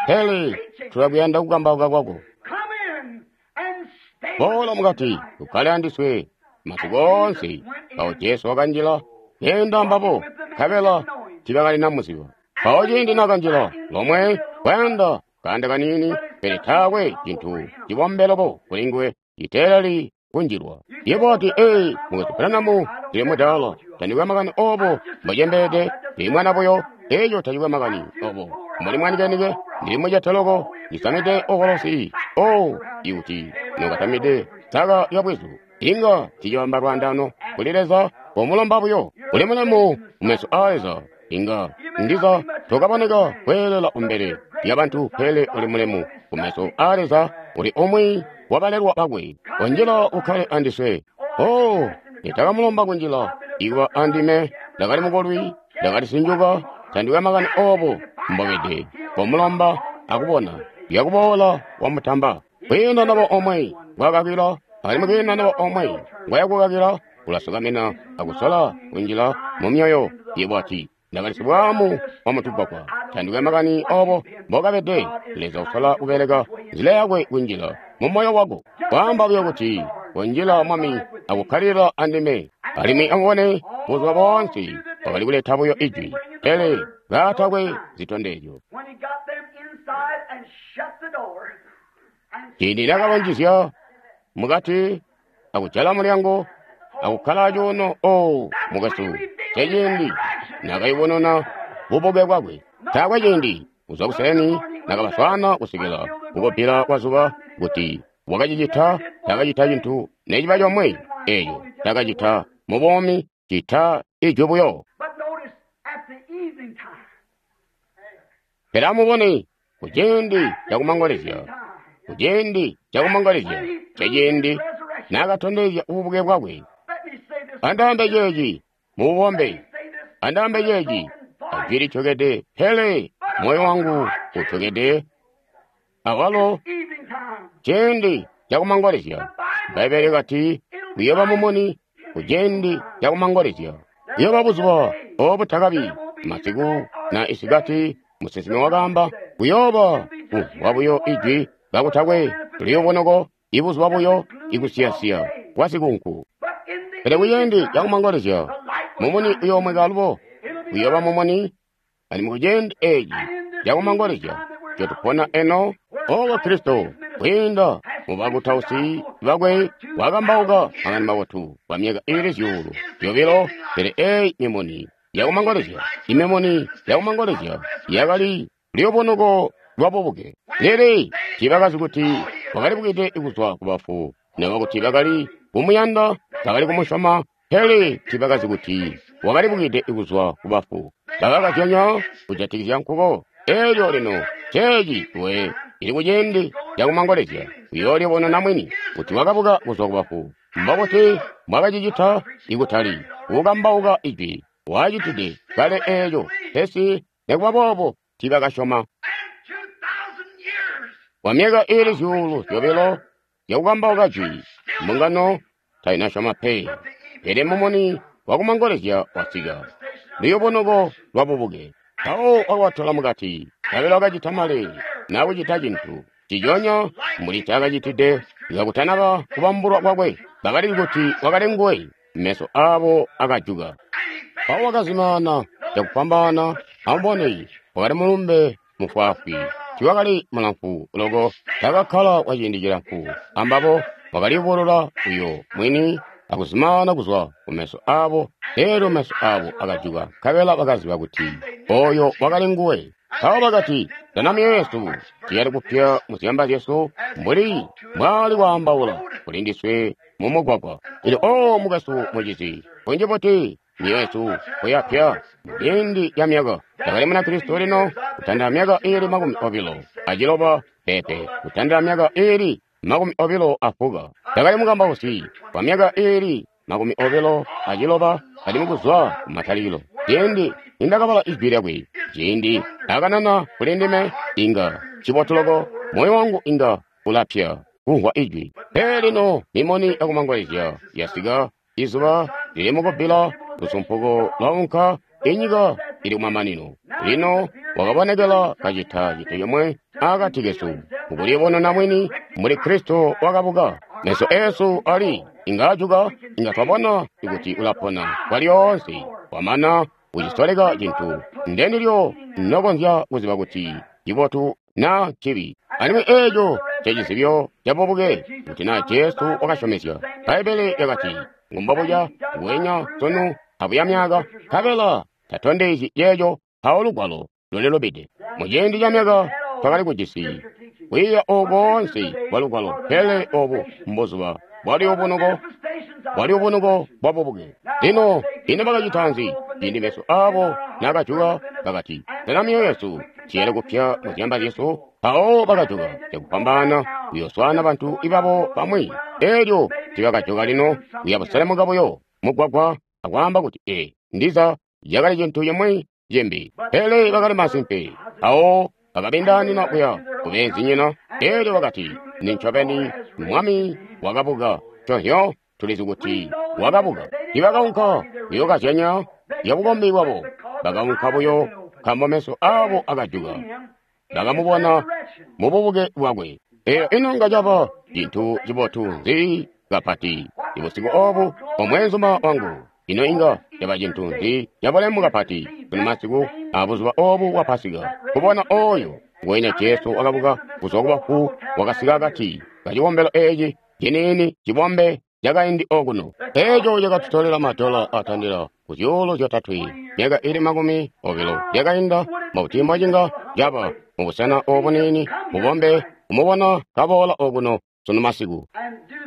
pele tulakuyanda kukambauka kwako. Boola mukati, ukkale andiswe masiku oonse. Mpawo Jesu wakanjila, keenda ambabo, nkabela tiibakalina muziba. Mpawo ciindi nakanjila lomwe Kwayanda kaanda kaniini, pele taakwe cintu cibombe loko kuli nguwe citeeleli kunjilwa. Yebo wati, "Ee, Mukwesu Branham, ndili mudaala. Tandikwe makani obo mbocembeede, ndili mwana buyo." Eco tacikwe makani obo mbuli mwanikenike, ndili mucete loko, ndisamide ovolosi. Oh, ikuti nokatamide saka lya bwizu, inga ticibamba lwaandano kuli Leza. Komulomba buyo. Uli mulemu mumeso aa Leza. Inga ndiza tokaboneka kweelela kumbele lya bantu, pele uli mulemu kumeso aa Leza. Uli umwi wabalelwa bakwe. Konjila ukkale andiswe. Oh, nitakamulomba kunjila ikuba andime. Ndakali mukolwi, ndakali sinjuka. Tandikwe makani obo mbobede. Komulomba akubona yakuboola wamutamba. Kwiina naba omwe ngwakakila, alimwi kwiina naba omwe ngwayakukakila. Ulasukamina akusola kunjila mu myoyo. Yebo ati, "Ndakali sibwaamu wa mutugwagwa." Tandikwe makani obo mbokabede. Leza usola kubeleka nzila yakwe kunjila mu moyo wako. Kwaamba buyo kuti, "Kunjila, Mwami, akukkalila andime." Alimwi amubone, buzuba boonse wakali kuleta buyo ijwi, pele kaatakwe zitondezyo. When he got them inside and shut the door, and Ciindi nakabanjizya mukati akujala mulyango akukkala cuuno, o mukwesu, ceciindi nakayubununa bubuke bwakwe. Taakwe ciindi kuzwa kuseeni nakabaswaana kusikila kukubbila kwa zuba kuti wakacicita. Takacita cintu neciba comwe eeco takacita mu buumi cita ijwi buyo. but notice at the evening time, Pele amubone kuciindi cakumangolezya, kuciindi cakumangolezya ceciindi nakatondezya ububuke bwakwe. let me say this. Andaambe ceeci mububombe, Say this. andaambe ceeci ajwi lityokede, pele moyo wangu utyokede awalo. Evening time. Ciindi cakumangolezya, Bbaibbele kati kuyooba mumuni kuciindi cakumangolezya. Kuyooba buzuba obu takabi masiku na isikati. Musinsimi wakaamba kuyooba kumvwa buyo ijwi kakutakwe liyubunoko, ibuzuba buyo ikusiyasiya kwa sikunku. But in the Pele kuciindi evening time, cakumangolezya the light will mumuni shine. uyoomweka alubo, It'll be kuyooba mumuni. Alimwi kuciindi eeci cakumangolezya cotupona eno, obo Kristo kwiinda mu bakutausi bakwe wakambauka makani mabotu kwa myaka iili 2,000. Pele eeyi mimuni yakumangolezya, imimuni yakumangolezya yakali luyubunuko lwa bubuke. Lili tiibakazi kuti wakalibukide kuzwa ku bafu, naba kuti bakali kumuyanda, bakali kumusyoma, pele tiibakazi kuti wakalibukide kuzwa ku bafu. Bakakazyanya kujatikizya nkuko. Elyo lino ceeci we ili kuciindi cakumangolezya uyoolibonena mwini kuti wakabuka kuzwa ku bafu. Mbokuti mwakacicita ikutali kukambauka ijwi, wacitide kale eeco, pesi nikuba boobo tiibakasyoma. And 2,000 years Kwa myaka iili 2,000 yakukambauka jwi, mbungano tainasyoma pe. Pele mumuni wakumangolezya wasika, luyubunuko lwa bubuke. Mpawo wakabatola mukati, nkabela wakacita maleele nakucita cintu ciconya mbuli ncaakacitide kakutanaba kubambulwa kwakwe. Bakalizi kuti wakali nguwe, meso aabo akajuka. Mpawo wakazimaana cakufwambaana. Amubone, wakali mulumbe mufwaafwi, tiwakali mulamfu loko. Takakkala kwa ciindi cilamfu ambabo, wakaliyubulula uyo mwini akuzimaana kuzwa kumeso aabo. Elyo meso aabo akajuka, nkabela bakaziba kuti oyo wakali nguwe. Mpawo bakati, "Sena myoyo yesu tiyali kupya muzyamba zyesu mbuli mbwaali kwaambaula kuli ndiswe mumugwagwa?" Ili o mukwesu, mucizi, kunji buti myoyo yesu kuyapya muciindi ca myaka. Ndakali Munakristo lino kutandila myaka iili 26, pepe, kutandila myaka iili 24. Ndakali mukambausi kwa myaka iili 27, alimwi kuzwa kumatalikilo ciindi nindakabala ijwi lyakwe, ciindi akanana kuli ndime, inga cibotu loko, moyo wangu inga ulapya kumvwa ijwi. Pele lino mimuni yakumangolezya yasika, izuba lili mukubbila, lusumpuko lwaunka, inyika ili kumamanino. Lino wakabonekela kacita cintu comwe akati kesu, mukulibonena mwini muli Kristo wakabuka. Meso eesu ali inga ajuka, inga twabona kuti ulapona kwalyoonse. Wamana kucisoleka cintu, ndendilyo nokonzya kuziba kuti cibotu na cibi. Alimwi eeco ncecizibyo cabubuke, kuti naa Jesu wakasyomezya. Bbaibbele lyakati, ngumbobuca nguwenya sunu abuya myaaka, nkabela tatondezyi ceeco mpawo lugwalo lulilubide. Muciindi ca myaka twakali kujisi kwiiya oku koonse kwa lugwalo, pele obu mbuzuba bwaluyubunuko bwabubuke. Lino ino bakacita nzi? Ciindi meso aabo naakajuka bakati, sena myoyo yesu tiyele kupya muzyamba zyesu? Mpawo bakajuka cakufwambaana kuyooswaana bantu ibabo bamwi. Eelyo tibakajuka lino kuya buselemuka buyo mugwagwa akwaamba kuti, ee, ndiza yakali cintu cimwi cimbi. Pele bakali masimpe. Mpawo bakabindaanina kuya kubeenzinyina. Eelyo bakati, nincobeni Mwami wakabuka. Nconzyo tulizi kuti wakabuka. Tibakaunka kuyookazyanya zyabukombi bwabo. Bakaunka buyo nkaambo meso aabo akajuka. Bakamubona mububuke bwakwe. Eyo ino nga caba cintu cibotu nzi kapati ibusiku obu omweenzuma wangu. Ino inga caba cintu nzi cabulemu kapati sunu masiku abuzuba obu bwa Pasika, kubona oyo nguwenya Jesu wakabuka kuzwa kubafu wakasika akati kacikombelo eeci ciniini cibombe cakaindi okuno. Eeco cakatutolela madola atandila ku 3,000 myaka ili 20 yakainda. Mbuti mbocinga caba mubusena obu niini bubombe kumubona kaboola okuno sunu masiku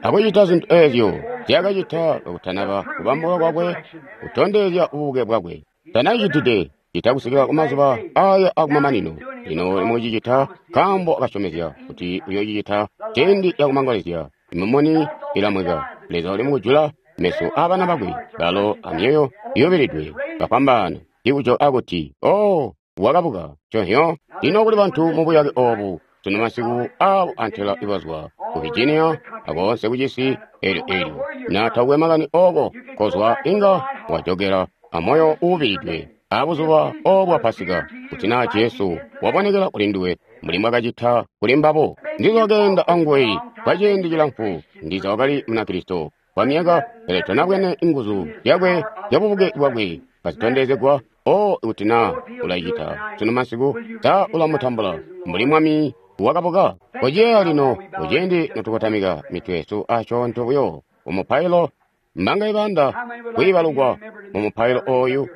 akucita zintu eezyo zyakacita kakutanaba kubambulwa kwakwe kutondezya ububuke bwakwe. Tanacitide cita kusikila kumazuba aya akumamanino. Lino mucicita nkaambo akasyomezya kuti uyoocicita ciindi cakumangolezya. Imumuni ilamweka. Leza uli mukujula meso aabana bakwe balo amyoyo iyubilidwe bafwambaana ikujo akuti, oh, wakabuka. Nconzyo lino kuli bantu mubuyake obu sunu masiku aabo antela ibazwa ku Virginia akoonse kucisi eelyo eelyo na takwe makani ooko kozwa inga wajokela amoyo uubilidwe abuzuba obu bwa Pasika, kuti naa Jesu wabonekela kuli nduwe mbuli mwakacita kuli mbabo. Ndiza wakeenda anguwe kwa ciindi cilamfu, ndiza wakali Munakristo kwa myaka, pele tonabwene inguzu zyakwe zyabubuke bwakwe kazitondezegwa. O, kuti naa ulacita sunu masiku, sa ulamutambula mbuli Mwami wakabuka? Koceya lino kuciindi notukotamika mitwe yesu asyoonto buyo mumupailo. Mbanga ibanda kwiibalukwa mumupailo ooyu.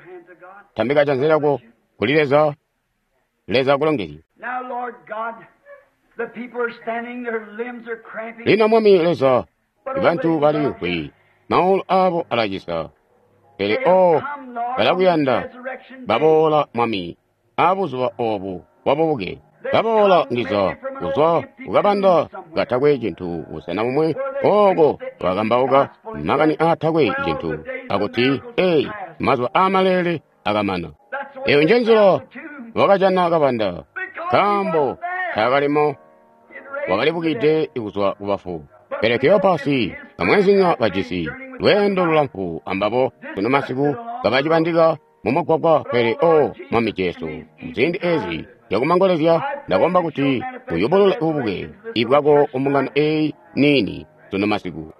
Tambika janza lyako kuli Leza. Leza akulongezye. Lino Mwami Leza, bantu baliimvwi, maulu aabo alacisa, pele o balakuyanda. Baboola Mwami abuzuba obu bwabubuke. Baboola ndiza kuzwa kukabanda katakwe cintu busena bumwe ooko bakambauka makani aatakwe cintu akuti, ei, mazuba aamaleele akamana. Eyo njenzila wakajana kabanda, nkaambo taakalimo, wakalibukide kuzwa kubafu. Pele Kleopasi amwenzinya bajisi lweendo lulamfu ambabo sunu masiku kabacibandika mumugwagwa. Pele o Mwami Jesu, muziindi ezi zyakumangolezya ndakomba kuti uyubulule ububuke ibwako kumbungano eyi niini sunu masiku.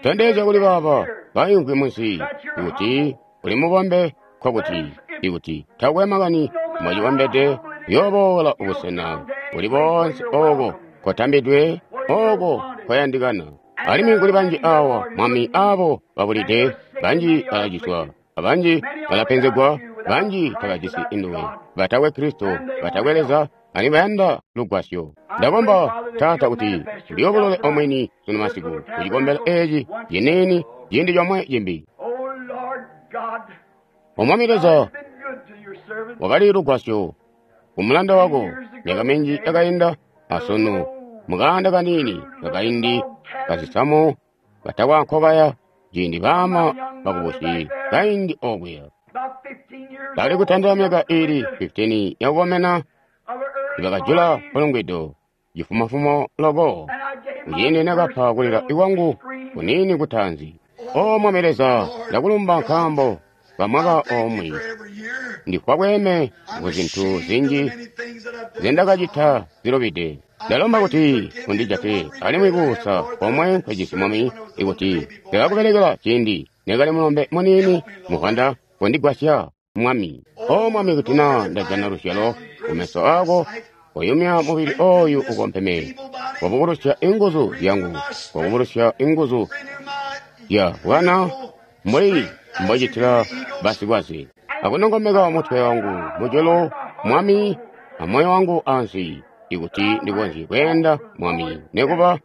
Tondezya kuli baaba baimvwi munsi kuti uli mubombe, nkokuti ikuti takwe makani mwacibombede uyooboola ubusena buli boonse ooko kotambidwe, ooko koyandikana. Alimwi kuli banji awa Mwami aabo babulide, banji balaciswa, abanji balapenzegwa, banji tabajisi induwe, batakwe Kristo, batakwe Leza, alimwi bayanda lugwasyo. Ndakomba Taata kuti uliyobulule omwini sunu masiku kucikombelo eeci ciniini ciindi comwe cimbi. O Mwami Leza, wakali lugwasyo kumulanda wako myaka minji yakainda, asunu mukaanda kaniini kakaindi kazisamu katakwa nkobaya, ciindi baama bakubusi kaindi okuya bakali kutandila myaka ili 15 yakukomena, bakajula mpulungwido cifumofumo loko kuciindi nakapa kulila ikwangu kuniini kutaanzi. O Mwami Leza, ndakulumba nkaambo kamwaka omwe ndifwa bweeme kuzintu zinji zendakacita zilubide. Ndalomba kuti undijate alimwi kuusa komwe nkwejisi Mwami, ikuti ndakakubelekela ciindi nekali mulombe muniini muvwanda, kondigwasya Mwami. O Mwami, kuti naa ndajana luzyalo kumeso aako Koyumya mubili oyu ukompeme. Kobukulusya inguzu zyangu. Kobukulusya inguzu zya bwana mbuli mbocitila basikwaze. Akunongomeka mutwe wangu mujulu, Mwami, amoyo wangu ansi, ikuti ndikonzye kweenda, Mwami, nekuba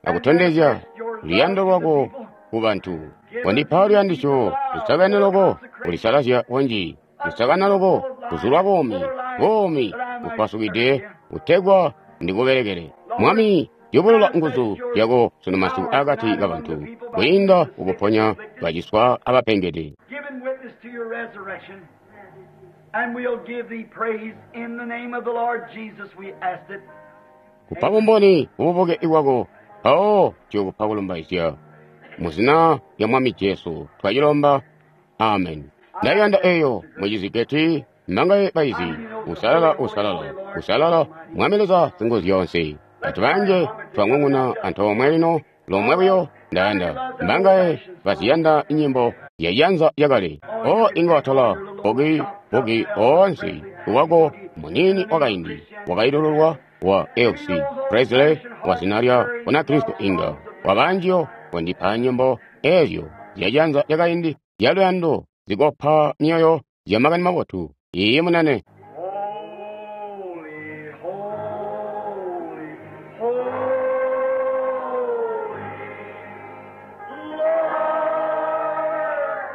akutondezya luyando lwako ku bantu. Kondipa luyandisyo lusakene loko, kulisalazya kunji, lusakana loko, kuzulwa buumi, buumi bupasukide, kutegwa ndikubelekele. Mwami, yubulula nguzu zyako sunu masiku akati kabantu, kwiinda kukuponya baciswa abapengede. Giving witness to your resurrection, and we'll give thee praise in the name of the Lord Jesus. We ask it. Kupa bumboni kububuke bwako, mpawo tuyokupa kulumbaizya. Muzina lya Mwami Jesu twacilomba, amen. Ndayanda eyo mucizigeti mbangaye baizi, usalala, usalala, usalala, Mwami Leza Singuzyoonse. Bantu banje twang'ung'una antoomwe lino, lomwe buyo ndayanda. Mbangaye baziyanda nyimbo yayanza yakale. O inga watola bogi bogi onse wako munini wakaindi wakailululwa wa Elvis Presley wa zina lya Bunakristo inga wabanjiyo kondipa nyimbo ezyo zyajanza lyakaindi zya luyando zikopa myoyo zya makani mabotu. Iye munene. Holy, holy, holy, Lord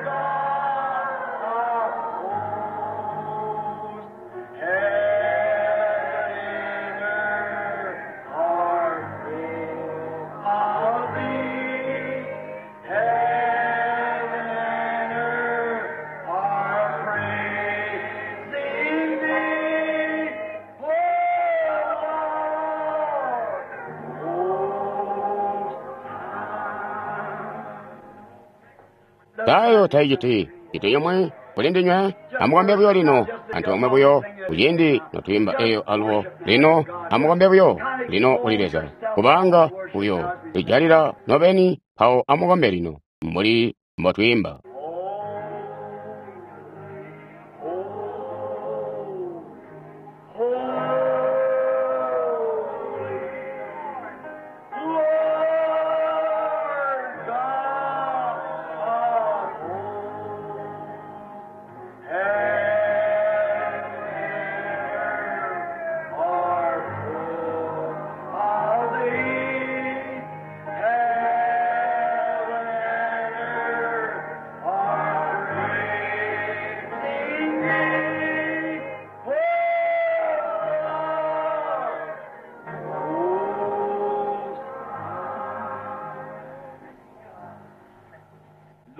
God of hosts, heaven and earth are full of thee. Heaven and earth are praising thee, O Lord, most high. Tayo taijiti iti yomwe kuli ndinywe amukombe buyo lino antoomwe buyo kuciindi notwiimba eyo alubo lino amukombe buyo lino kuli Leza kubanga buyo lijalila nobeni mpawo amukombe lino mbuli mbotwiimba.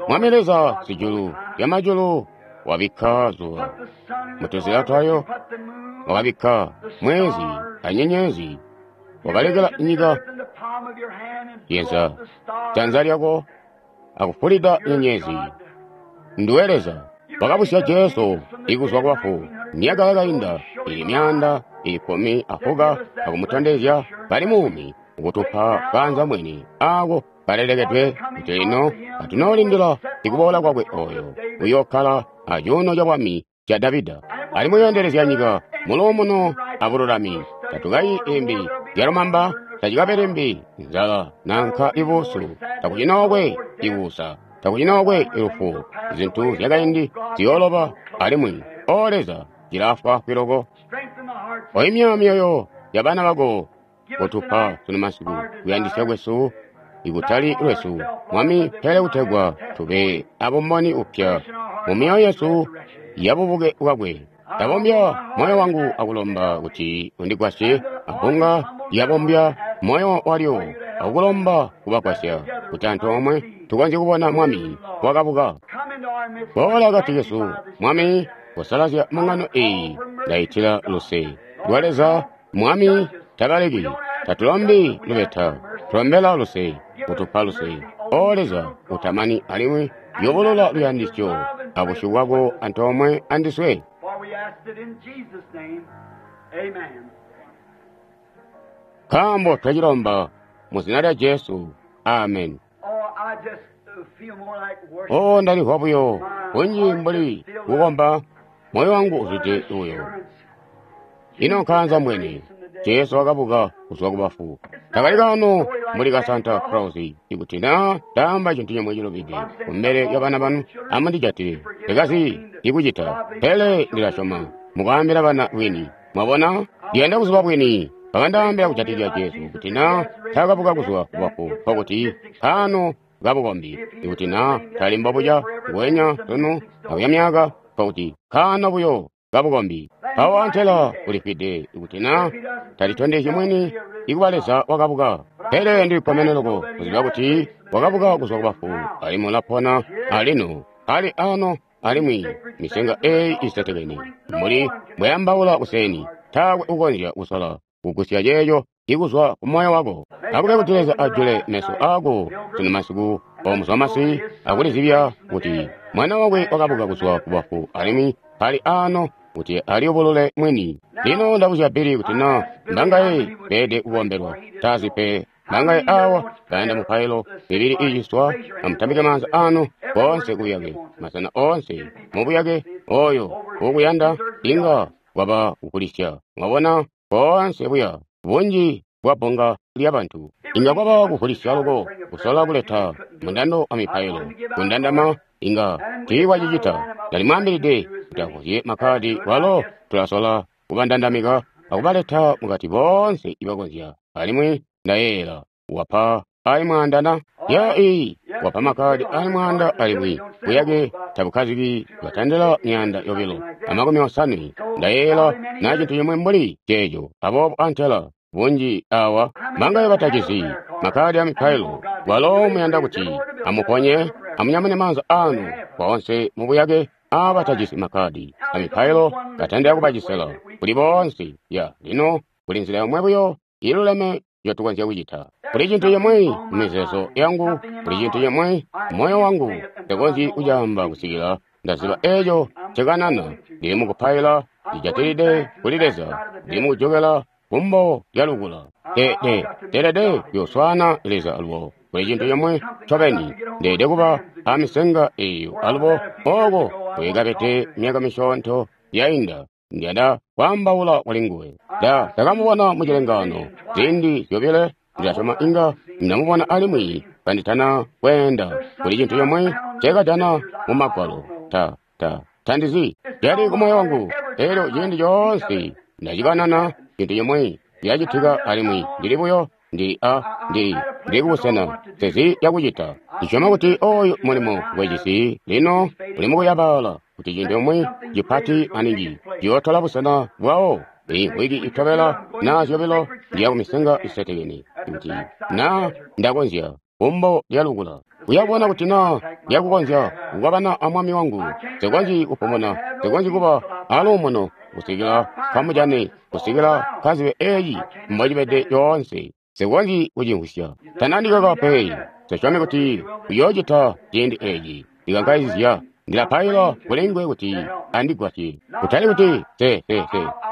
Mwami Leza sijulu lyamajulu wabikka zuba mutuzila twayo, wakabikka mwezi anyenyezi, wakalekela nyika yeza janza lyako akufulida nyenyezi. Nduwe Leza wakabusya Jesu ikuzwa kubafu myaka yakainda ili 115 akumutondezya kali muumi ukutupa kanza mwini ako kalelekedwe kuti lino katunoolindila ikuboola kwakwe oyo uyokkala acuuno ca bwami ca Davida alimwi uyoendelezya nyika muluumuno abululami. Tatukayi imbi zyalumamba, tacikabe limbi nzala nanka ibuusu, takucinookwe ikuusa, takucinookwe ilufu. Zintu zyakaindi ziyooloba alimwi, O Leza, zilafwa kwiloko. Oyimya myoyo ya bana bako kutupa sunu masiku kuyandisya kwesu ikutali lwesu, Mwami, pele kutegwa tube abumboni upya mu myoyo yesu yabubuke bwakwe. Ndabombya moyo wangu akulomba kuti undigwasye, abbunga lyabombya moyo walyo akukulomba kubagwasya kuti antoomwe tukonzye kubona Mwami wakabuka. Boola akati kesu, Mwami, kusalazya mbungano eyi. Ndaitila luse lwa Leza. Mwami tabaleki, tatulombi lubeta, tulombela luse, kutupa luse. O Leza utamani alimwi yobolola luyandisyo abusyu bwako antoomwe andiswe. For we ask it in Jesus' name. Amen. Nkaambo twacilomba mu zina lya Jesu, amen. Oh, I just feel more like worship. O ndalimvwa buyo kunji mbuli kukomba, moyo wangu uzwide buyo. Ino nkaanza mbweni Jesu wakabuka kuzwa kubafu. Takali kano mbuli ka Santa Claus. Ikuti na ndaamba cintu cimwe cilubide kumbele lya bana banu, amundijatile. Ndikazi ikucita, pele ndilasyoma mukwaambila bana bwini. Mwabona, ndiyanda kuziba bwini. Bakandaambila kujatikizya Jesu kuti na taakabuka kuzwa kubafu, nkokuti kano kabukombi. Ikuti na tali mbobuca ngwenya sunu akuya myaka, nkokuti kano buyo kabukombi. Mpawo antela ulifwide ikuti na talitondezyi mwini ikuba Leza wakabuka. Pele ndilikkomene loko kuziba kuti wakabuka kuzwa kubafu, alimwi ulapona alino, ali ano, alimwi misenga eyi isetekene. Mbuli mbweyambaula kuseni, taakwe ukonzya kusola kugusya ceeco ikuzwa ku moyo wako. Akube kuti Leza ajule meso ako sunu masiku omuzwamasi akulizibya kuti mwana wakwe wakabuka kuzwa kubafu alimwi ali ano kuti aliyubulule mwini. Lino ndabuzya Bili kuti na mbangaye beede kukombelwa tazi pe mbangaye awa bayanda mupailo mibili iciswa amutambike maanza anu koonse kubuyake masena oonse mubuyake oyo ukuyanda inga waba kukulisya. Mwabona koonse buya bunji bwa bbunga lyabantu inga kwaba kuvulisya loko kusola kuleta mundando wa mipailo kundandama inga tiikwacicita. Ndalimwaambilide kuti avuzye makkadi walo tulasola kubandandamika akubaleta mukati boonse ibakonzya. Alimwi ndayeeyela wapa ali mwaandana ya iyi wapa makkadi ali mwaanda alimwi buyake tabukkaziki batandila 250. Ndayeeyela na cintu cimwe mbuli ceeco. Aboobo antela bunji awa mangaye batacizi makkadi a mipailo walo muyanda kuti amuponye amunyamune maanza anu boonse mubuyake abatajisi makkadi a mipailo batandila kubacisela kuli boonse. Ya lino kuli nzila yomwe buyo iluleme njotukonzya kucita. Kuli cintu cimwe mumizeezo yangu, kuli cintu cimwe moyo wangu, ntekonzyi kucaamba kusikila ndaziba eeco ncekanana. Ndili mukupaila ndijatilide kuli Leza, ndili mukujokela kumbo lya lukula. Ndeelede kuyoswaana Leza alubo. Kuli cintu cimwe ncobeni, ndeelede kuba amisenga eeyo alubo ooko kweekapete myaka misyoonto yainda. Ndiyanda kwaambaula kuli nguwe. Ndakamubona mucilengaano ziindi zyobile, ndilasyoma inga ndamubona alimwi kanditana kweenda. Kuli cintu cimwe nceekajana mu Magwalo. Tandizi cali kumoyo wangu. Elyo ciindi coonse ndacikanana cintu cimwe cyacitika alimwi ndili buyo ndili kubusena sezi yakucita. Ndisyoma kuti oyu mulimo ngwejisi lino uli mukuyabaala kuti cintu cimwe cipati maningi ciyootola busena bwawo. Iyi wiki itobela na zyobilo ndiya kumisenga isetekene kuti na ndakonzya kumbo lya lukula kuyabona kuti na ndiyakukonzya kukwabana a mwami wangu. Nsikonzyi kupumuna, nsikonzyi kuba aluumuno kusikila kamujane, kusikila kazibe eyi mbocibede yoonse. Nsikonzyi kucimvwisya. Tanandikaka pe. Nsisyome kuti uyoocita ciindi eeci. Ndikankaizya ndilapaila kuli nguwe kuti andigwasye. Kutali kuti se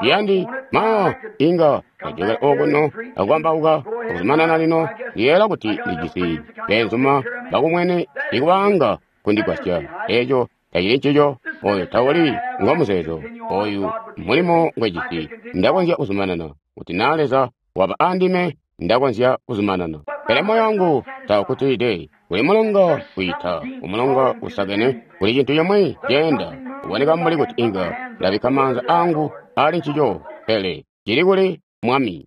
yandi ma inga ndajokela okuno akukambauka akuzumanana lino. Ndiyeeyela kuti ndijisi beenzuma bakumwene ikubanga kundigwasya. Eeco tacili ncico. Oyo tawuli ngomuzeezo. Oyu mulimo ngwejisi. Ndakonzya kuzumanana kuti na Leza waba andime, ndakonzya kuzumanana. Pele moyo wangu tawukkutilide. Kuli mulonga kwiita, umulonga usakene, kuli cintu cimwe ceenda. Kuboneka mbuli kuti inga ndabikka maanza angu ali ncico, pele cili kuli Mwami.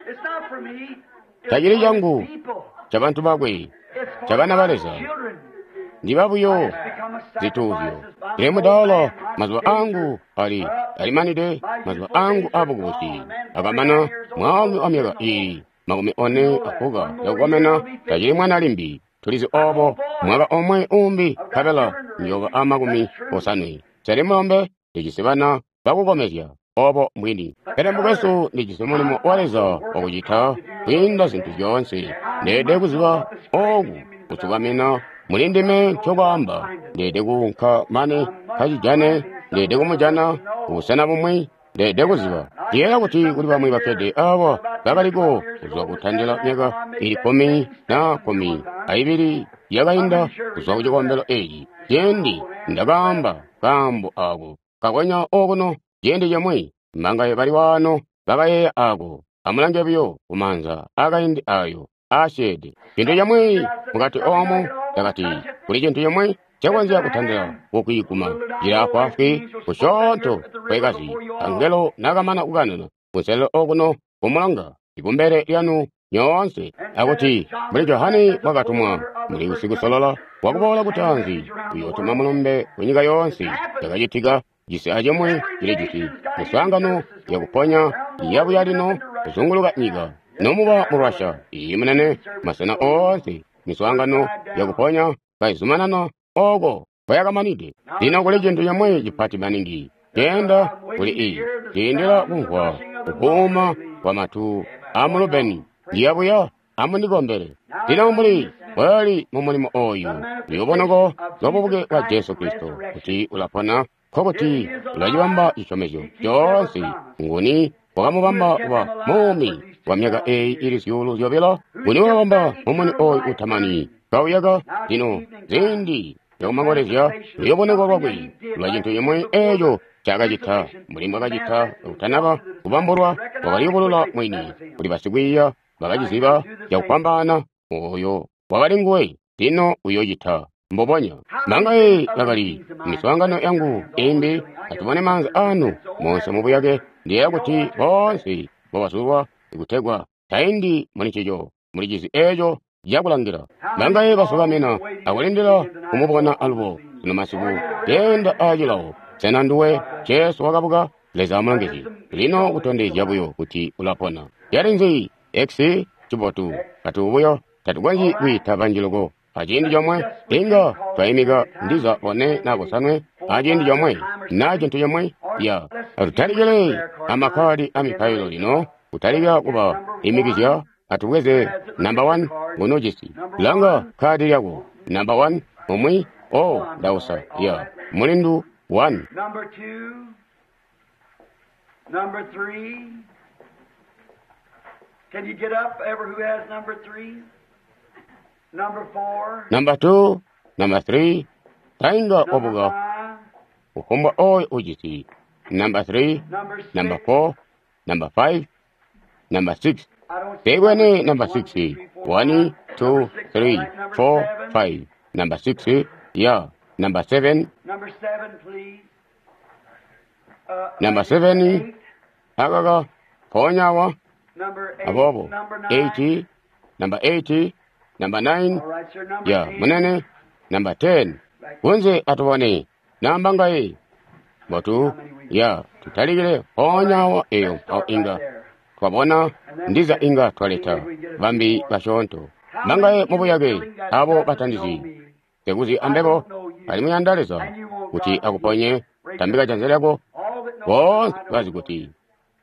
Tacili cangu, cabantu bakwe, cabana ba Leza. Ndiba buyo zituuzyo. Ndili mudaala, mazuba angu alimanide, mazuba angu abukubusi akamana. Mwaalumi wa myaka iili 45 yakukomena tacili mwana limbi. Tulizi obo mwaka omwe umbi nkabela njoba a 80. Seli mulombe, ndijisi bana bakukomezya. Obo mbwini. Pele mukwesu, ndijisi mulimo wa Leza wakucita kwiinda zintu zyoonse. Ndeelede kuziba oku kusukamina muli ndime ncokwaamba. Ndeelede kuunka mane kacijane, ndeelede kumujana kubusena bumwi. Ndeelede kuziba. Ndiyeeya kuti kuli bamwi bakkede awa bakaliko kuzwa kutandila myaka ili 10 na 12 yakainda kuzwa ku cikombelo eeci. Ciindi ndakaamba kaambo ako kakonya okuno ciindi cimwi, mbangaye bali waano bakayeeya ako. Amulange buyo kumaanza akaindi ayo aasyeede. Cintu cimwi mukati oomu cakati kuli cintu cimwi cakonzya kutandila kukwiiguma. Cili afwaafwi kusyoonto kwekazi. Angelo nakamana kukanana kunselelo okuno kumulonga ikumbele lyanu nyoonse, akuti mbuli Johane bwakatumwa muli usikusolola wakuboola kutaanzi uyootuma mulumbe kunyika yoonse. Cakacitika cisi acimwi cili jisi miswaangano yakuponya yabuya lino kuzunguluka nyika, nomuba mu Russia iyi munene, masena oonse miswaangano yakuponya kaizumanana oko kwayakamanide. Lino kuli cintu cimwi cipati maningi ceenda kuli iyi ciindila kumvwa kubuuma kwa matu amulubeni ndiyabuya amunikombele. Lino mbuli bwali mu mulimo oyu luyobonoko lwabubuke bwa Jesu Kristo kuti ulapona, nkokuti ulacibamba cisyomezyo coonse. Nguni wakamubamba kuba muumi wa myaka eyi ili 2,000? Nguni wakabamba mumuni oyu utamani kauyaka? Lino ziindi zyakumangolezya luyoboneko lwakwe lwa cintu cimwi eeco cakacita mbuli mbwakacita kutanaba kubambulwa, wakaliyubulula mwini kuli basikwiiya bakaciziba cakufwambaana oyo wakali nguwe. Lino uyocita mbubonya. Bangaye bakali miswaangano yangu imbi, atubone maanza anu monse mubuyake. Ndiyeeya kuti boonse mbobazulwa kutegwa taindi muli ncico, muli cizi eeco cakulangila. Bangaye basukamina akulindila kumubona alubo sunu masiku keenda aacilawo. Sena nduwe Jesu wakabuka? Leza amulongezye. Lino kutondezya buyo kuti ulapona. Yali nzi X cibotu kati buyo tatukonzyi kwiita banji loko aciindi comwe. Inga twaimika ndiza 4 na 5 aciindi comwe na cintu comwe. Ya atutalikile amakkadi amipailo lino, kutalika kuba imikizya. Atubweze namba 1 ngono jisi langa kadi lyako namba 1 umwi. Oh, ndausa ya mulindu 1. Number 2, number 3. Can you get up, ever who has number 3? Number 4. Number 2, number 3. Tainga Number wabuka 5. uhumbwa oyo ujisi number 3, Number 6. number 4, number 5, number 6. I don't see Tegwene number 1, 2, 6. 3, 4, 1, 5. 2, Number 6, all 3, right. Number 4, 7. 5. Number 6, yeah. Number 7, Number 7, please. Number 7, 8. akaka ponyawa Number 8. abobo Number 9. 8, number 8, number 9, All right, sir. Number ya 10. munene number 10. Kunze atubone namba ngai botu ya tutalikile ponyawa eyo mpawo inga twabona ndiza inga twaleta bambi basyoonto bangaye mubuyake abo batandizi tekuzi ambebo alimwi yanda Leza kuti akuponye. Tambika janza lyako. All that know Boonse I don't bazi know kuti you.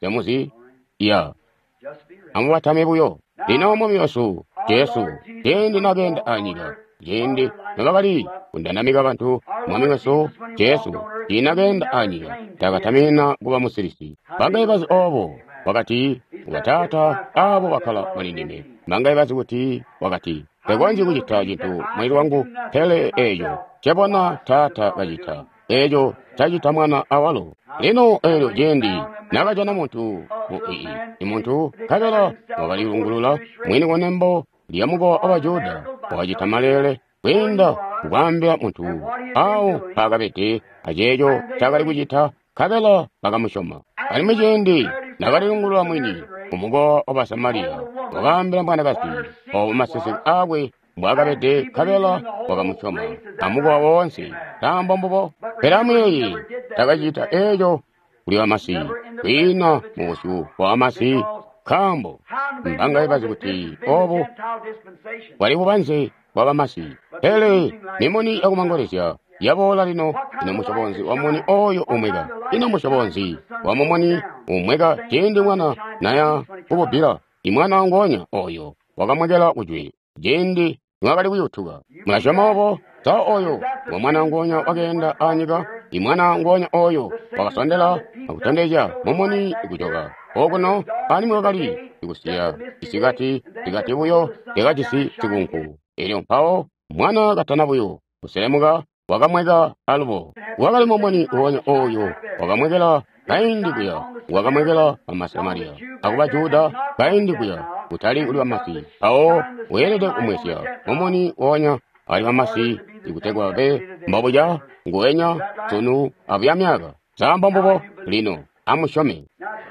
temuzi ya Just be ready. amubatame buyo. Lino mwami wesu Jesu ciindi nakeenda anyika, ciindi nobakali kundanamika bantu, mwami wesu Jesu ciindi nakeenda anyika takatamina kuba musilisi. Bangaye bazi obo wakati wataata abo bakkala muli ndime. Bangaye bazi kuti wakati tekonzyi kucita cintu mwili wangu, pele eeco cebona taata kacita, eeco cacita mwana awalo. Lino eelyo ciindi nakajana muntu mu ii muntu nkabela wakalilungulula mwini kunembo lya mukowa wa Bajuda, wakacita maleele kwiinda kukwaambila muntu awo mpaakabede aceeco cakali kucita, nkabela bakamusyoma. Alimwi ciindi nakalilungulula mwini kumukowa wa Basamariya, wakaambila mwanakazi obo maseseke aakwe mbwaakabede, nkabela wakamusyoma amukowa woonse. Nkaambo mbubo. Pele amuyeeye, takacita eeco kuli bamasi, kwiina mubusyu bwa bamasi, nkaambo mbangaye bazi kuti obu Gentile dispensation. bwali bubanze bwa bamasi. Pele mimuni yakumangolezya yaboola lino. Ino musyobonzi wa muni oyo umweka? Ino musyobonzi wa mumuni umweka ciindi mwana naya kububbila? Imwana ngonya oyo wakamwekela kujwe ciindi niwakali kuyutuka. Mulasyoma obo? Sa oyo wa mwana ngonya wakeenda anyika? Imwana ngonya oyo wakasondela akutondezya mumuni kujoka okuno, alimwi wakali ikusiya isikati sikati buyo lyakajisi sikunku. Elyo mpawo mwana katana buyo kuselemuka wakamweka alubo. Wakali mumuni ngonya oyo wakamwekela Kaindi kuya wakamwekela bamasamariya akuba Juda, kaindi kuya kutali kuli bamasi. Mpawo weelede kumwesya mumuni wonya ali bamasi ikutegwa babe mbobuca nguwenya sunu abuya myaka. Zamba mbubo lino amusyome.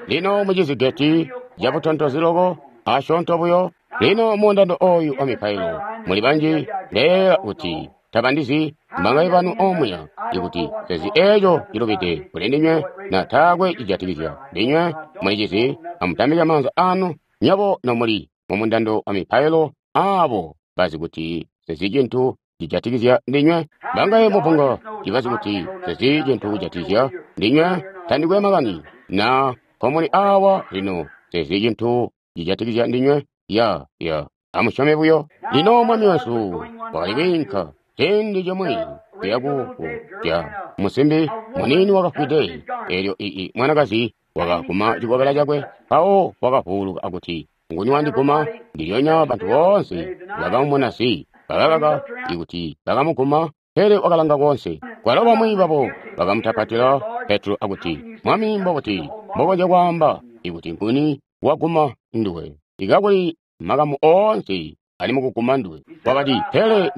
Lino mucizigeti cabutontozi loko asyoonto buyo. Lino mundando oyu wa mipailo muli banji ndeela kuti tabandizi mbangaye banu omuya ikuti sezi eco cilubide kuli ndinywe na taakwe cijatikizya ndinywe mulicizi. Amutambike maanza anu nyabo nomuli mumundando wa mipailo abo bazi kuti sezi cintu cijatikizya ndinywe. Mbangaye mubunga cibazi kuti sezi cintu kujatikizya ndinywe. Tandikwe makani na komuli awa lino sezi cintu cijatikizya ndinywe. Ya amusyome buyo. Lino Mwami wesu wakali kwiinka ciindi cimwi kuya ku musimbi muniini wakafwide. Eelyo ii mwanakazi wakaguma cikobela cakwe, mpawo wakavuuluka akuti, nguni wandiguma? Ndilyonya bantu boonse bakamumona si bakakaka ikuti bakamuguma, pele wakalanga koonse. Kwalo bamwi babo bakamutapatila Petro akuti, Mwami, mbokuti mbokonzya kwaamba ikuti nguni waguma nduwe? Ikakuli makamu oonse ali mukuguma nduwe. Wakati, pele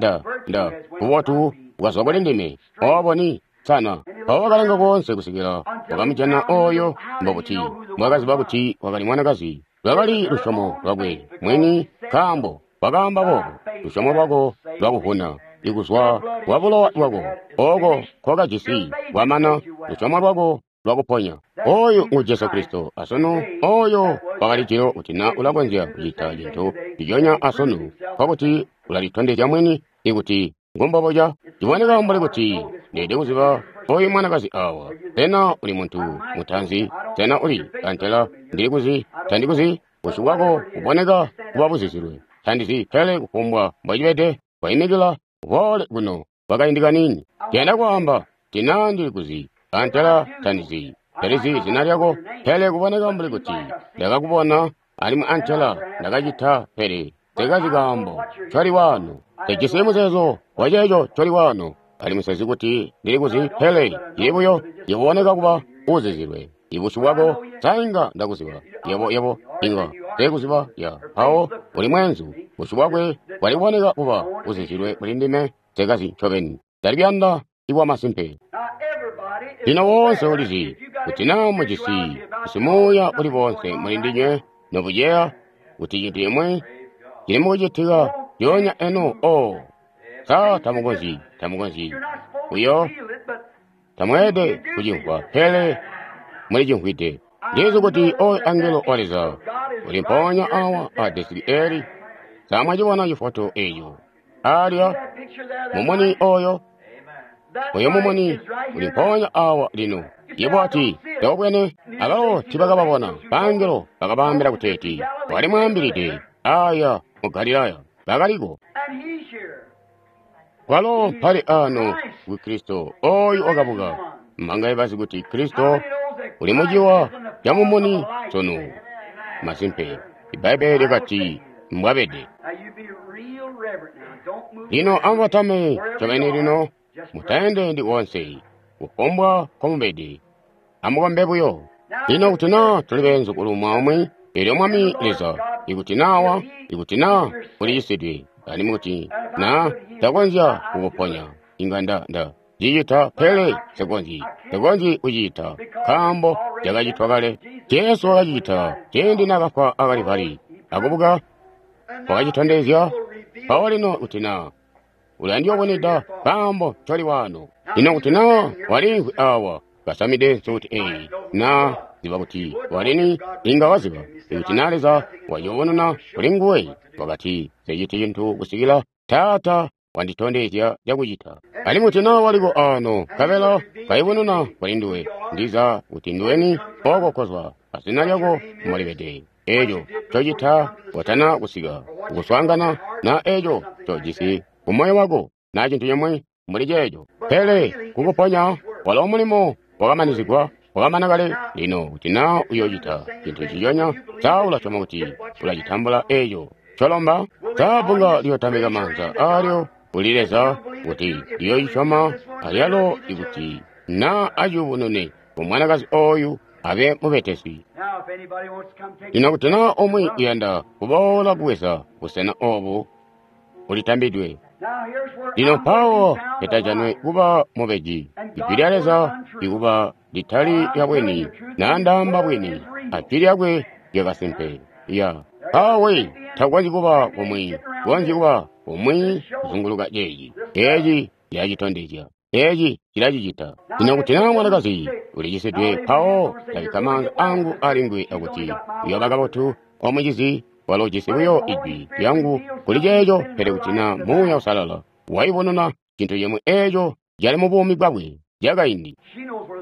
nda bubotu bwazwa kuli ndime, obo ni sana. Mpawo wakalanga koonse kusikila wakamujana oyo. Mbokuti mwakaziba kuti wakali mwanakazi. Lwakali lusyomo lwakwe mwini, nkaambo wakaamba boobo, lusyomo lwako lwakuvuna, ikuzwa kwa bulowa bwako oko nkokajisi bwamana, lusyomo lwako lwakuponya. Oyu ngu Jesu Kristo asunu, oyo wakali jilo kuti na ulakonzya kucita cintu nciconya asunu, nkokuti ulalitondezya mwini ikuti ngumboboca. Ciboneka mbuli kuti ndeede kuziba oyu mwanakazi awa. Sena uli muntu mutanzi? Sena uli antela ndilikuzi? Tandikuzi. Busyu bwako buboneka kuba buzizilwe. Tandizi, pele kufumbwa mbocibede, waimikila uboole kuno kwakaindi kaniini. Ndiyanda kwaamba tina ndilikuzi antela tandizi. Talizi zina lyako, pele kuboneka mbuli kuti ndakakubona alimwi antela ndakacita, pele sekazi kaambo ncoli wano. Sejisi muzeezo waceeco ncoli wano, alimwi sezi kuti ndilikuzi, pele cili buyo yeboneka kuba uzizilwe. Ibusyu bwako sainga ndakuziba, yebo inga sekuziba ya mpawo uli mwenzu. Busyu bwakwe bwali kuboneka kuba uzizilwe kuli ndime, sekazi ncobeni. Ndalibiyanda ibwa masimpe. Lino wonse ulizi kuti na mujisi simuuya uli bonse muli ndinywe nobuceya kuti cintu cimwi cili mukucitika lyoonya eno. O sa tamukonzyi buyo, tamweelede kucimvwa, pele mulicimvwide. Ndizi kuti oyu angelo wa Leza uli mpoonya awa a desiki eli. Samwacibona cifoto eco alya mumuni oyo? Oyo mumuni uli mpoonya awa lino. Yebo ati tawubwene. Abalo tibakababona bangelo bakabaambila kuteeti wali mwaambilide aya mu Galilaya bakaliko. Kwalo mpali ano ku Kristo oyu wakabuka. Mbangaye bazi kuti Kristo uli muciwa ca mumuni sunu? Masimpe, Ibbaibbele lyakati mbwabede. Lino amubatame ncobeni lino, mutaendendi koonse, kufumbwa nkomubede, amukombe buyo. Lino kuti naa tuli beenzukulu mwaumwi, eelyo Mwami Leza, ikuti naawa, ikuti naa ulicisidwe, alimwi kuti naa takonzya kukuponya, inga nda cicita, pele nsekonzyi kucita, nkaambo cakacitwa kale. Jesu wakacicita ciindi naakafwa a Kalivali akubuka, wakacitondezya. Mpawo lino kuti naa ulandiyoboneda kaambo ncoli wano. Lino kuti naa waliimvwi awa kasamide nsuti eyi, naa ziba kuti walini, inga waziba ikuti naa Leza wayobonona kuli nguwe. Wakati nseciti cintu kusikila Taata wanditondezya cakucita. Alimwi kuti naa waliko ano nkabela kayubununa kuli nduwe, ndiza kuti nduweni oko kozwa, azina lyako mbolibede, eco ncocita watana kusika kukuswaangana, na eco ncojisi kumoyo wako, na cintu cimwi mbuli ceeco. Pele kukuponya walo mulimo wakamanizigwa, wakamana kale. Lino kuti naa uyocita cintu nciconya, sa ulasyoma kuti ulacitambula eco ncolomba? Sa bbunga liyotambika maanza aalyo kuli Leza kuti liyoocisyoma alyalo ikuti naa aciyubunune ku mwanakazi oyu abe mubetesi. Lino kuti naa umwi uyanda kuboola kubweza busena obu, ulitambidwe. Lino mpawo petajanwe kuba mubeji, ijwi lya Leza ikuba litali lya bwini, naa ndaamba bwini, ajwi lyakwe lyakasimpe. Ya mpawo takukonzyi kuba kumwi, kukonzyi kuba kumwi kuzunguluka ceeci. Eeci cilacitondezya. Eeci cilacicita. Lino kuti naa mwanakazi ulicisidwe, mpawo ndabikka maanza angu alinguwe akuti uyooba kabotu, omucizi walo ujisi buyo ijwi lyangu kuli ceeco, pele kuti naa Muuya Uusalala wayubununa cintu cimwi eeco cali mu buumi bwakwe cakaindi.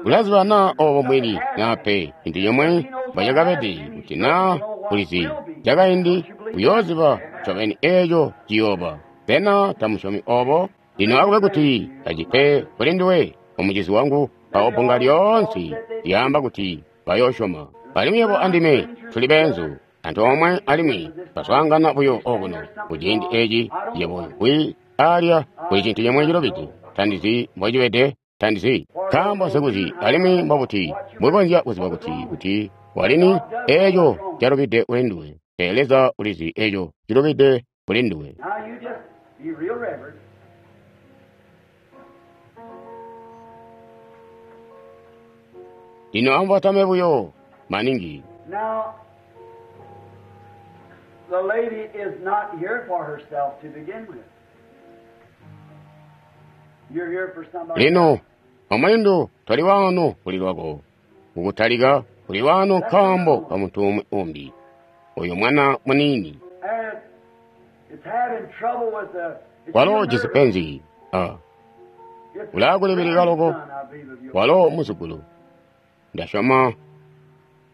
Ulaziba naa obo mbwini naa pe, cintu cimwe mbocakabede, kuti naa ulizi cakaindi, uyooziba ncobeni eeco ciyooba. Sena tamusyomi obo? Lino akube kuti acipe kuli nduwe, omucizi wangu, mpawo bbunga lyoonse lyaamba kuti bayoosyoma. Alimwi yebo andime tuli beenzu antoomwe alimwi baswaangana buyo okuno kuciindi eci. Yebo wi alya kuli cintu cimwe cilubide. Tandizi mbocibede, tandizi nkaambo nsikuzi, alimwi mbobuti mbwekonzya kuziba kuti walini eeco calubide kuli nduwe. Pele Leza ulizi eeco cilubide kuli nduwe. Lino amubatame buyo maningi. Now, the lady is not here for herself to begin with. You're here for somebody. Lino omulindu toli wano kuli lwako, kukutalika kuli wano nkaambo ka muntu umwi umbi, oyo mwana muniini. And it's having trouble with the. It's Walo your ujisi nerve. penzi. Ah, It's ulakulibilika loko. grandson, I believe, of yours. Walo muzukulu, ndasyoma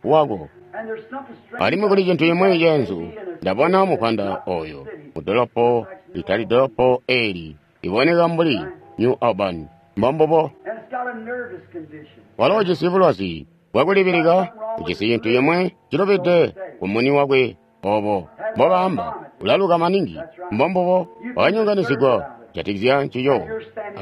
wako. And there's something strange Alimwi kuli cintu cimwi about ceenzu, it. And it's ndabona mupanda oyo mudolopo litali dolopo eli iboneka mbuli New Albany. Mbombubo. And it's got a nervous condition. Walo ujisi bulwazi bwakulibilika, ujisi cintu cimwe cilubide kumuni wakwe obo mbobaamba ulaluka maningi. Mbombubo. Wanyonganisigwa kujatikizya ncico,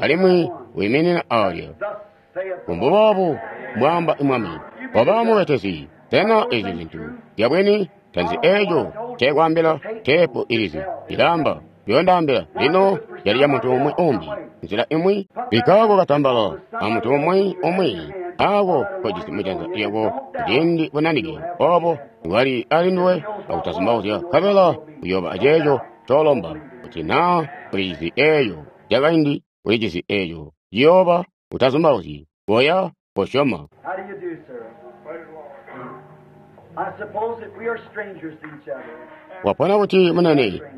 alimwi wiiminina alya. Thus saith the Mbuboobu mbwaamba Mwami. Waba mubetesi. Sena ezi zintu zyabwini? Tanzi eeco nceekwaambila teepu ilizi ilaamba yondaambila lino yali ya muntu umwi umbi nzila imwi bikkaako katambala a muntu umwi umwi aako kojisi mujanza lyako kuciindi bunanike obo bwali ali nduwe akutazumbauzya, nkabela uyooba aceeco ncoolomba. Kuti naa ulijisi eeco cakaindi, ulijisi eeco ciyooba, utazumbauzyi, koya kosyoma. How do you do, sir? I suppose that we are strangers to each other. Wapona kuti munene, Strangers.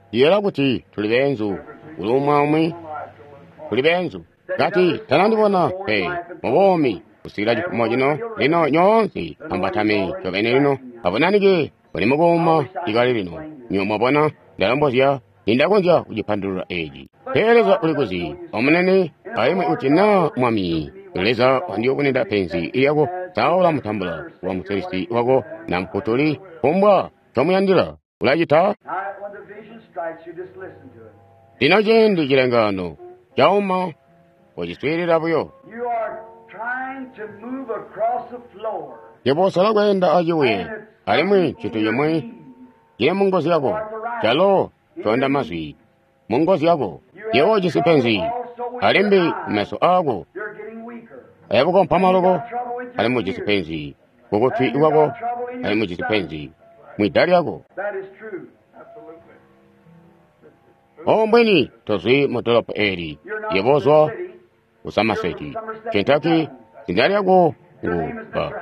ndiyela kuti tuli beenzu kuli umwi aumwi, tuli beenzu. Kati tanandibona pe mubuumi kusikila cifumo cino. Lino nyoonse ambatame ncobeni lino, abonanike buli mukuuma ikali lino. Nywebo mwabona, ndalombozya nindakonzya kucipandulula eci. Pele Leza uli kuzi omunene, alimwi kuti naa Mwami Leza wandiyubunwida penzi lyako, saula mutambula wa musilisi wako na mfutuli, kumbwa ncomuyandila ulacita. Now, when the vision strikes you, just listen to it. Lino ciindi cilengano cauma, kociswiilila buyo. You are trying to move across the floor. Yebo usala kweenda acibuye, And it's alimwi something cintu in your cimwi knees. cili mungozi yako, calo conda mazwi mungozi yako. Yebo ujisi penzi alimbi kumeso aako, You're getting weaker. ayabukompa You maloko, got trouble with your alimwi ujisi ears. penzi kukutwi And you kwako, got trouble in your alimwi ujisi stomach. penzi mwida lyako. That is true. Ombweni tozwi mu dolopo eli, You're not yebo from uzwa the city. ku Somerset, Kentucky. Zina lyako Your ngu name is ba Mr.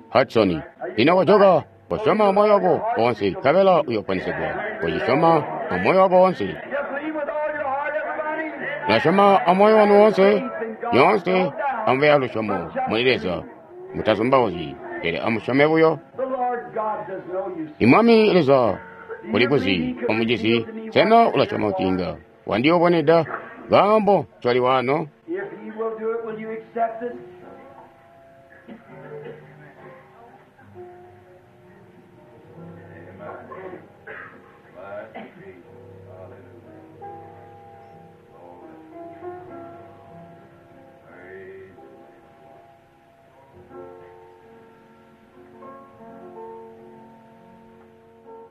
Hudson. Hudson. Lino kojoka, kosyoma moyo wako wonse, nkabela uyoponesegwa. Kochisyoma amoyo wako wonse. You believe with all your heart, everybody? Mulasyoma amoyo wanu wonse, nyoonse amube alusyomo muli Leza. Mutazumbauzyi, pele amusyome buyo. The Lord God does know you. Imwami Leza uli kuzi omucizi, sena ulasyoma kuti inga wandiyubunwida kaambo ncoli wano? If He will do it, will you accept it?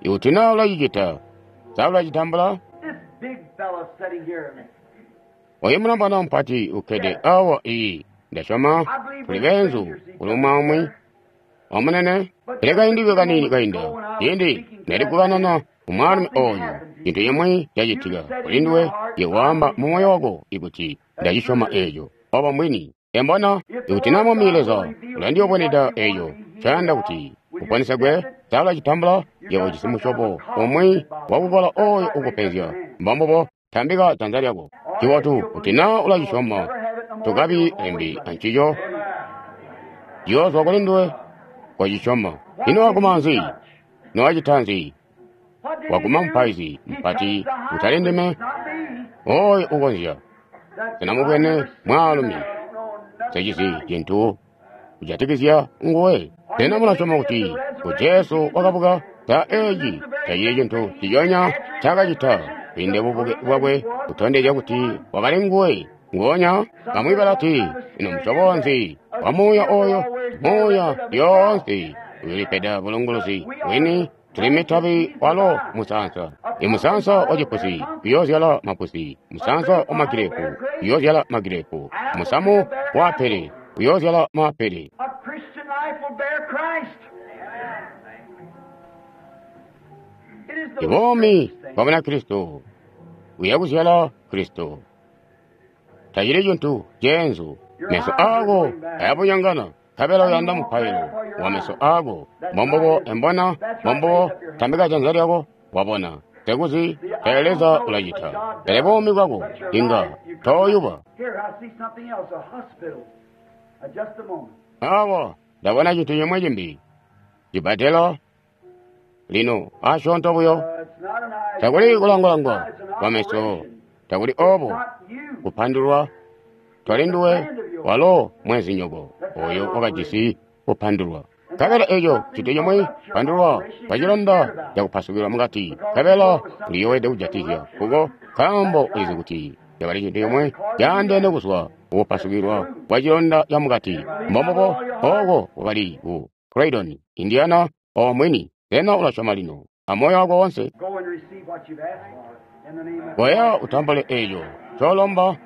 Ikuti naa ulacicita, sa ulacitambula? This big fellow sitting here. Oyu mulombwana mupati ukkede awa iyi. Ndasyoma tuli beenzu kuli umwi aumwi. Omunene, pele kaindi kaniini kainda, ciindi nali kukanana kumwaalumi oyu, cintu cimwi cacitika kuli nduwe, yewaamba mu moyo wako ikuti ndacisyoma eeco. Obo mbwini. Embona, ikuti naa Mwami Leza ulandiyobweneda eeco, ncayanda kuti uponesegwe, sa ulacitambula? Yebo ujisi musyobo umwi wakukola oyo ukupenzya. Mbombubo, tambika janza lyako. Cibotu kuti naa ulacisyoma, tukabi limbi ancico. Ciyoozwa kuli nduwe, kocisyoma. Ino waguma nzi? Nowacita nzi? What did Waguma he do? mupaizi He mupati touched the high utali ndime priest, not me. oyo ukonzya. That Sinamubwene I never seen mwaalumi that. I don't know nothing secizi about him. cintu kujatikizya nguwe. Sena mulasyoma kuti ku Jesu wakabuka? Sa eeci tacili cintu nciconya ncaakacita kwiinda bubuke bwakwe kutondezya kuti wakali nguwe nguonya? Bamwi balati, ino musyobo nzi wa muuya oyo? Muuya lyoonse uyoolipeda bulunguluzi bwini. Tuli mitabi walo musaansa. I musaansa wa cipusi uyoozyala mapusi, musaansa wa magirepu uyoozyala magirepu, musamu wa apele uyoozyala maapele. A Christian life will bear Christ. It is the Ibuumi greatest thing. bwa Bunakristo buyakuzyala Kristo. Tacili cintu ceenzu. Meso aako ayabunyongana, nkabela uyanda mupailo wa meso aako. Mbombubo embona, mbombubo tambika janza lyako, wabona. Tekuzi, pele Leza ulacita. Pele buumi bwako inga tooyuba. Here, I see something else, a hospital. Just a moment. Awa, ndabona cintu cimwi cimbi. Cibatelo, lino asyoonto buyo. It's not an eye. Takuli kulangwalangwa It's an kwa meso, operation. takuli It's obo not you. kupandulwa. Twali nduwe, walo mwenzinyoko oyo wakajisi kupandulwa. Nkabela eco cintu cimwi pandulwa kwacilonda cakupasukilwa mukati. Nkabela uliyowede kujatizya kuko nkaambo ulizi kuti cakali cintu cimwi caandeene kuzwa kukupasukilwa kwa cilonda ca mukati. Mbombubo ooko kwakali ku Croydon, Indiana, omwini. Sena ulasyoma lino amoyo wako wonse? Go and receive what you've asked for in the name of Koya utambule eco colomba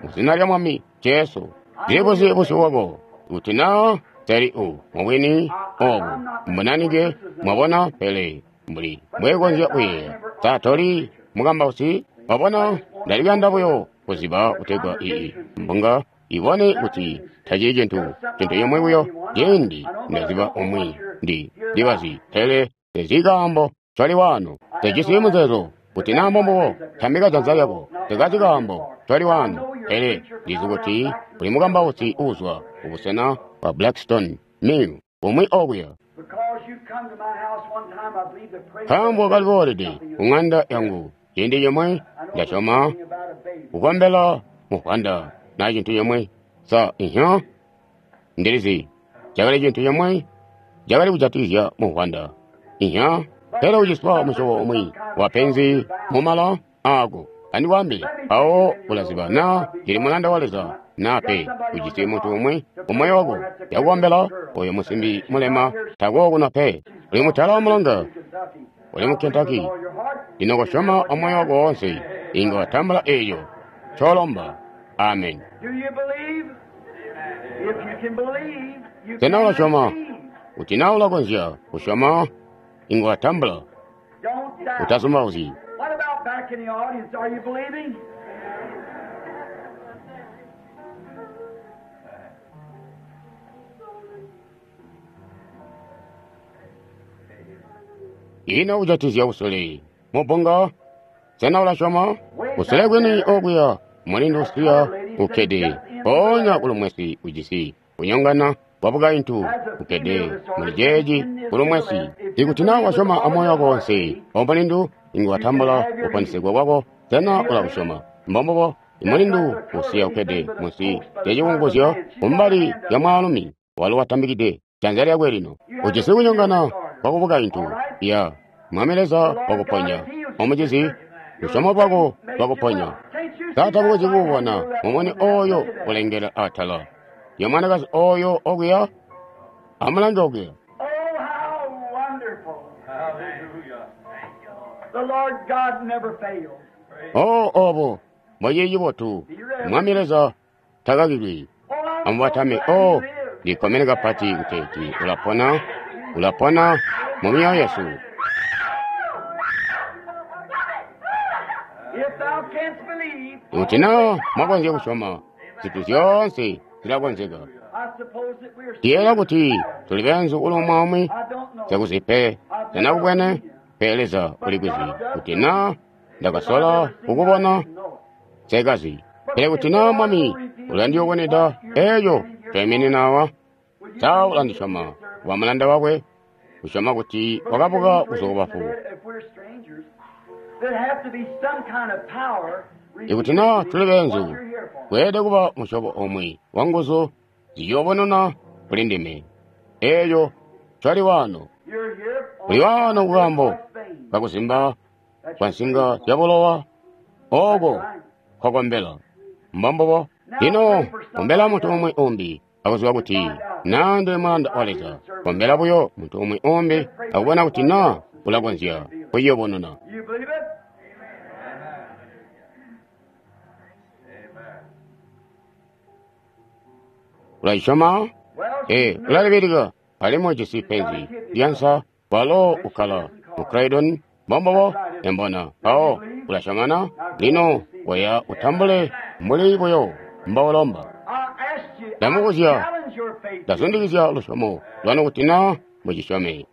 mu zina lya Mwami Jesu. Ndilikuzi busyu bwako kuti naa teli u mubwini obu mbunanike mwabona, pele mbuli mbwekonzya kuyeeya sa toli mukambausi. Mwabona, ndalikuyanda buyo kuziba kutegwa iyi mbunga ibone kuti tacili cintu cintu cimwi buyo. Ciindi ndaziba umwi ndi ndibazi, pele tezi kaambo coli waano. Tejisi muzeezo kuti naa mbombubo, tambika janza lyako. Tekazi kaambo coli waano, pele ndizi kuti uli mukambausi uuzwa kubusena bwa Blackstone Mill umwi okuya. Because you come to my house one time, I believe to pray for Nkaambo kaliboolede ku ŋanda yangu ciindi cimwi, I know ndasyoma something about a baby. kukombela muvwanda na cintu cimwi. Sa ihyo ndilizi cakali cintu cimwi cakali kujatikizya muvwanda. Ihyo pele uciswa musyobo umwi wapenzi mumala aako. Andikwaambile, mpawo ulaziba naa ndili mulanda wa Leza naa pe. Ujisi muntu umwi mumoyo wako yakukombela oyo musimbi mulema takookuna pe. Uli mutala wa mulonga, In Kentucky. uli mu Kentucky. With all your heart. Lino kosyoma amoyo wako wonse, inga watambula eeco colomba. Amen. Do you believe? If you can believe, you Sena can ulasyoma? receive. Kuti naa ulakonzya kusyoma, inga watambula. Don't doubt. Utazumbauzyi. What about back in the audience? Are you believing? Ino kujatikizya kusule mubunga, sena ulasyoma? Kusule kwini okuya mulindu usiya ukkede mpoonya kulumwesi ujisi kunyongana kwa bukaintu ukkede muli ceeci kulumwesi. Ikuti naa wasyoma amoyo wako wonse, omulindu inga watambula kuponesegwa kwako. Sena ulakusyoma? Mbombubo, imulindu usiya ukkede munsi lyacikunguzyo kumbali lya mwaalumi walo watambikide janza lyakwe lino. Ujisi kunyongana kwa kubukaintu ya Mwami Leza wakuponya. Omucizi, lusyomo lwako lwakuponya. Sa tabukonzyi kuubona mumuni oyo ulengela atala ya mwanakazi oyo okuya? Amulange okuya. Oh, how wonderful. Hallelujah. The Lord God never fails. O obo mbocili cibotu Mwami Leza takakilwi. Oh, I'm Amubatame. so glad O he lives. ndikkomene kapati kuteeti ulapona, ulapona mu myoyo yesu. If thou canst believe, Kuti naa mwakonzya kusyoma, zintu zyoonse zilakonzeka. I suppose that we're Ndiyeeya kuti tuli beenzu kuli umwi aumwi, I don't know. sikuzi pe sindakubwene, pele Leza ulikwizi. Kuti naa ndakasola kukubona, nsekazi. Pele kuti naa Mwami ulandiyubunwida eeco ncoiminina awa, sa ulandisyoma kuba mulanda wakwe, kusyoma kuti wakabuka kuzwa kubafu. If we're strangers, there'd have to be some kind of power Ikuti naa tuli beenzu, what you're here for. kweelede kuba musyobo omwe wa nguzu ziyobonona kuli ndime. Eeco ncoli waano. You're here on Uli waano kukaambo vein. kakuzimba kwa nsinga zya bulowa, ooko kwakombela. Mbombubo. Lino kombela muntu umwi umbi akuziba kuti naa ndili mulanda wa Leza. Kombela buyo muntu umwi umbi akubona kuti naa ulakonzya kuyobonona. You believe it? Ulacisyoma? Well, Ee, ulalibilika alimwi ujisi penzi lyansa walo ukkala mu Croydon. Mbombubo, embona. Mpawo ulasyomana? Lino koya utambule mbuli buyo mboulomba. I asked you, I Ndamubuzya, challenge your faith. ndazundikizya lusyomo lwanu kuti naa mucisyome.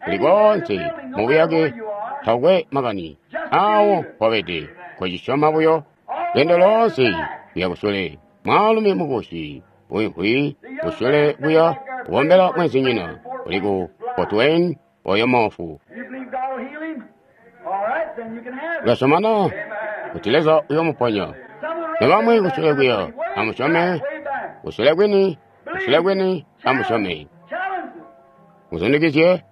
Kuli koonse mubuyake takwe makani awo mpobede, kocisyoma buyo. Lwendo loonse kuya kusule, mwaalumi mukusi uimvwi kusule kuya kukombela mwenzinyina uli ku Fort Wayne oyo moofu. You believe God will heal him? All right, then you can have it. Ulasyomana kuti Leza uyomuponya. Some of the Nobamwi rest kusule kuya way amusyome, back, way back. kusule kwini, kusule kwini amusyome. Challenge it. Muzundikizye,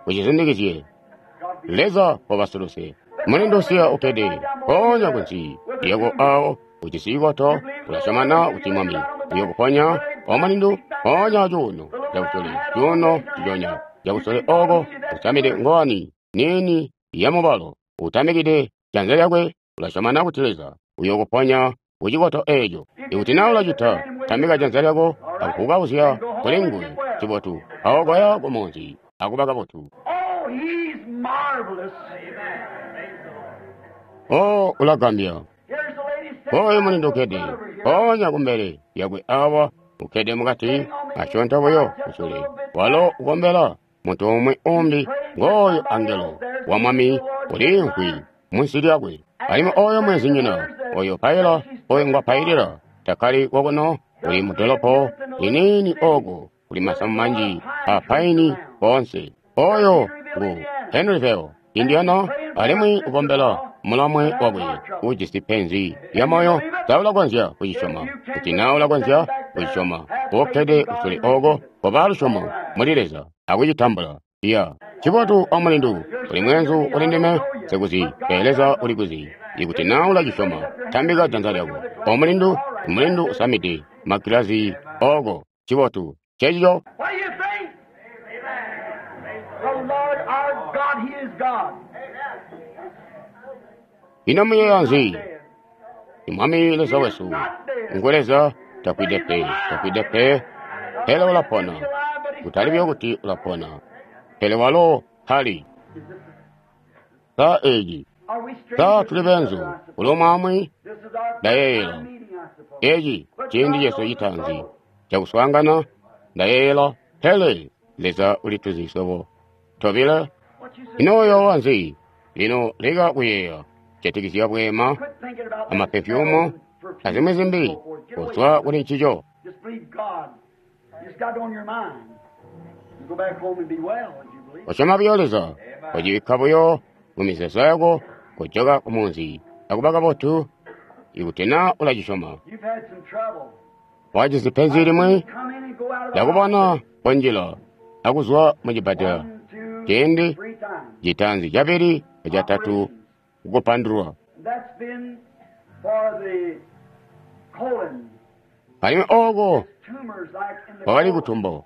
mucizundikizye. God be Leza wabasuluse. Mulindu usiya ukkede ponya kunsi lyako awo ujisi ikoto ulasyomana kuti Mwami uyokuponya. Omulindu ponya cuuno cakusule, cuuno ciconya cakusule oko usamide ngowani niini yamubalo utamikide janza lyakwe. Ulasyomana kuti Leza uyokuponya kucikoto eeco. Ikuti naa ulacita, tambika janza lyako akukauzya kuli nguwe. Cibotu awo koya kumunzi akuba kabotu. Oh, he's marvelous. O ulagambya. Here's the lady sitting Oyo right mulindu in ukkede front of her here. ponya kumbele yakwe awa ukkede mukati asyoonto buyo kusule walo ukombela muntu umwi umbi ngooyo angelo wa Mwami uliimvwi munsi lyakwe. Alimwi oyo mwenzinyina oyo paila oyo ngwapailila takkali kokuno, uli mudolopo liniini oko kuli masamu manji a paini koonse. Oyo ngu Henryville, Indiana, alimwi ukombela mulamwe wakwe ujisi penzi lya moyo. Sa ulakonzya kucisyoma? Kuti naa ulakonzya kucisyoma, ukkede kusule oko koba lusyomo muli Leza akucitambula. Iya, cibotu omulindu, uli mweenzu uli ndime, nsikuzi, pele Leza ulikuzi. Ikuti naa ulacisyoma, tambika janza lyako. Omulindu, mulindu usamide magilazi oko. Cibotu, cecico. What do you think? The Lord our God, He is God. Ino muyeeya nzi? Mwami Leza wesu ngu Leza, tafwide pe, tafwide pe, pele ulapona. Kutali buyo kuti ulapona, pele walo mpali. Sa eeci, Are we sa strangers? tuli beenzu kuli umwi This is our first ndayeeyela. time meeting, I suppose. Eeci ciindi cesu citaanzi cakuswaangana, ndayeeyela, pele Leza ulituzi swebo tobile. What you say? Ino uyoowa nzi? Lino leka kuyeeya kujatikizya bweema Quit thinking about that amapefyumu perfume azimwi zimbi and so forth. Get away kuzwa from it. kuli ncico. Just believe God. You just got it on your mind. You go back home and be well if you believe. Usyoma buyo Leza, ucibikka buyo mumizeezo yako, kujoka kumunzi akuba kabotu. Ikuti naa ulacisyoma, You've had some trouble. wajisi penzi limwi Come in and go out of the ndakubona konjila akuzwa mu cibbadela One, two, ciindi three times. citanzi cabili acatatu kukupandulwa. That's been for the colon. Alimwi ooko Tumors like in the kwakali colon. kutumbo,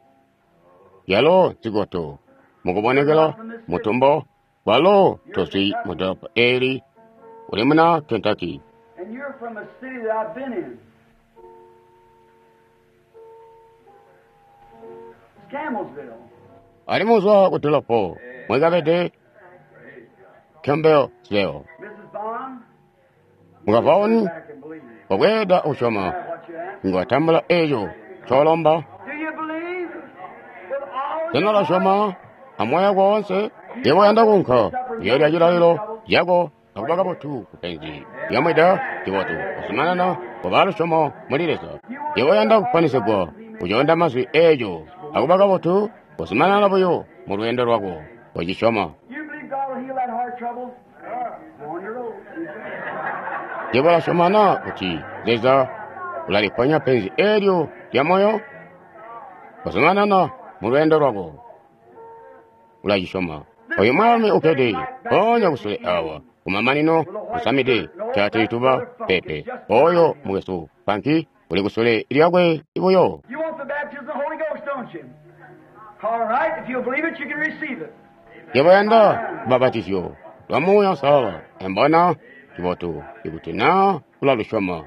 yalo nzikoto mukubonekela mutumbo. Walo tozwi mu dolopo eli, uli muna Kentucky. And you're from a city that I've been in. It's Campbellsville. Alimwi uzwa ku dolopo mwekabede Campbellsville. Mrs. Bond, Mukavaoni back and believe. wabweeda usyoma What you ask. ngwatambula eco colomba. Do you believe with all Sena your ulasyoma amoyo woonse? Yebo uyanda kuunka kuyoolya cilalilo cako akuba kabotu kupenzi lyamwida cibotu kuzumanana kuba lusyomo muli Leza. Yebo uyanda kuponesegwa ucoonda mazwi eeco akuba kabotu kuzumanana buyo mu lweendo lwako kocisyoma. You believe God will heal that heart trouble? Go on your road. Yebo ulasyoma na kuti Leza ulaliponya penzi eelyo lya moyo? Kuzumanana mu lweendo lwako ulacisyoma. Oyu mwaalumi ukkede mpoonya kusule awa kumamanino usamide caatituba pepe. Oyo mukwesu Panki uli kusule lyakwe buyo. You want the baptism of the Holy Ghost, don't you? All right, if you believe it, you can receive it. Yebo yanda lubbapatizyo lwa Muuya Uusalala. Embona cibotu ikuti naa ulalusyoma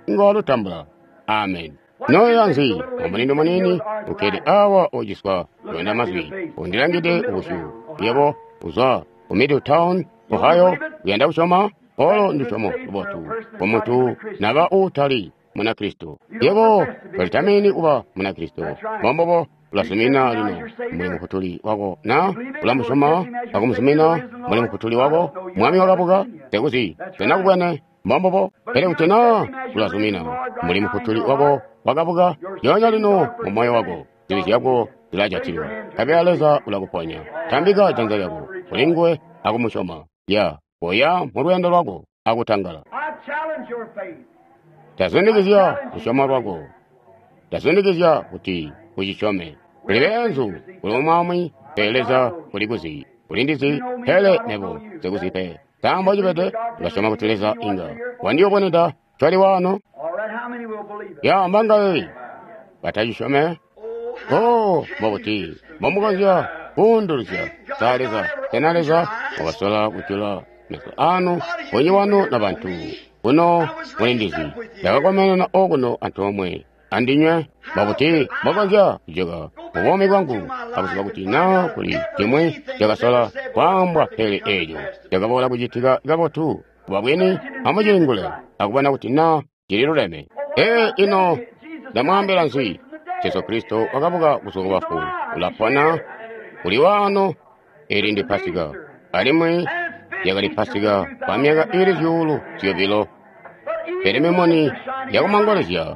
ngolutambula. Amen. Noya nzi omulindu muniini ukkede awa ociswa lwenda mazwi undilangide ubusyu. Yebo uzwa ku Middletown, Ohio, uyanda kusyoma? Olo ndusyomo lubotu kumuntu naba uutali Munakristo. Yebo tolitamini kuba Munakristo. Mbombobo ulazumina lino muli mufutuli wako na ulamusyoma akumuzumina muli mufutuli wako mwami wakabuka sekuzi senakubwene mbombobo. Pele kuti na ulazumina muli mufutuli wako wakabuka lyoonya lino mu moyo wako zibi zyako zilajatilwa nkabela Leza ulakuponya. Tambika janza lyako kuli nguwe akumusyoma. Ya koya mu lweendo lwako akutangala. I challenge your faith. Tazundikizya lusyomo lwako. Tazundikizya kuti ucisyome. Kuli beenzu, kuli umwaumwi, pele Leza uli kuzi. Ulindizi, pele nebo sikuzi pe. Nkaambo cibede, ulasyoma kuti Leza inga wandiyoboneda cwali wano. All right, how many will believe it? Ya mbangaye batacisyome. Oh, mbobuti mbomukonzya kuunduluzya sa Leza? Sena Leza wakasola kujula meso anu bunyi wanu na bantu kuno mulindizi ndakakomenena okuno antoomwe andinywe. Mbobuti mbokonzya kujoka mubuumi bwangu akuziba kuti naa kuli cimwi cakasola kwaambwa pele eeco cakaboola kucitika kabotu kuba bwini? Amucilingule akubona kuti naa cililuleme. Ee, ino ndamwaambila nzi? Jesu Kristo wakabuka kuzwa kubafu, ulapona, uli waano. Eli ndi Pasika, alimwi yakali Pasika kwa myaka ili 2,000. Pele mimuni yakumangolezya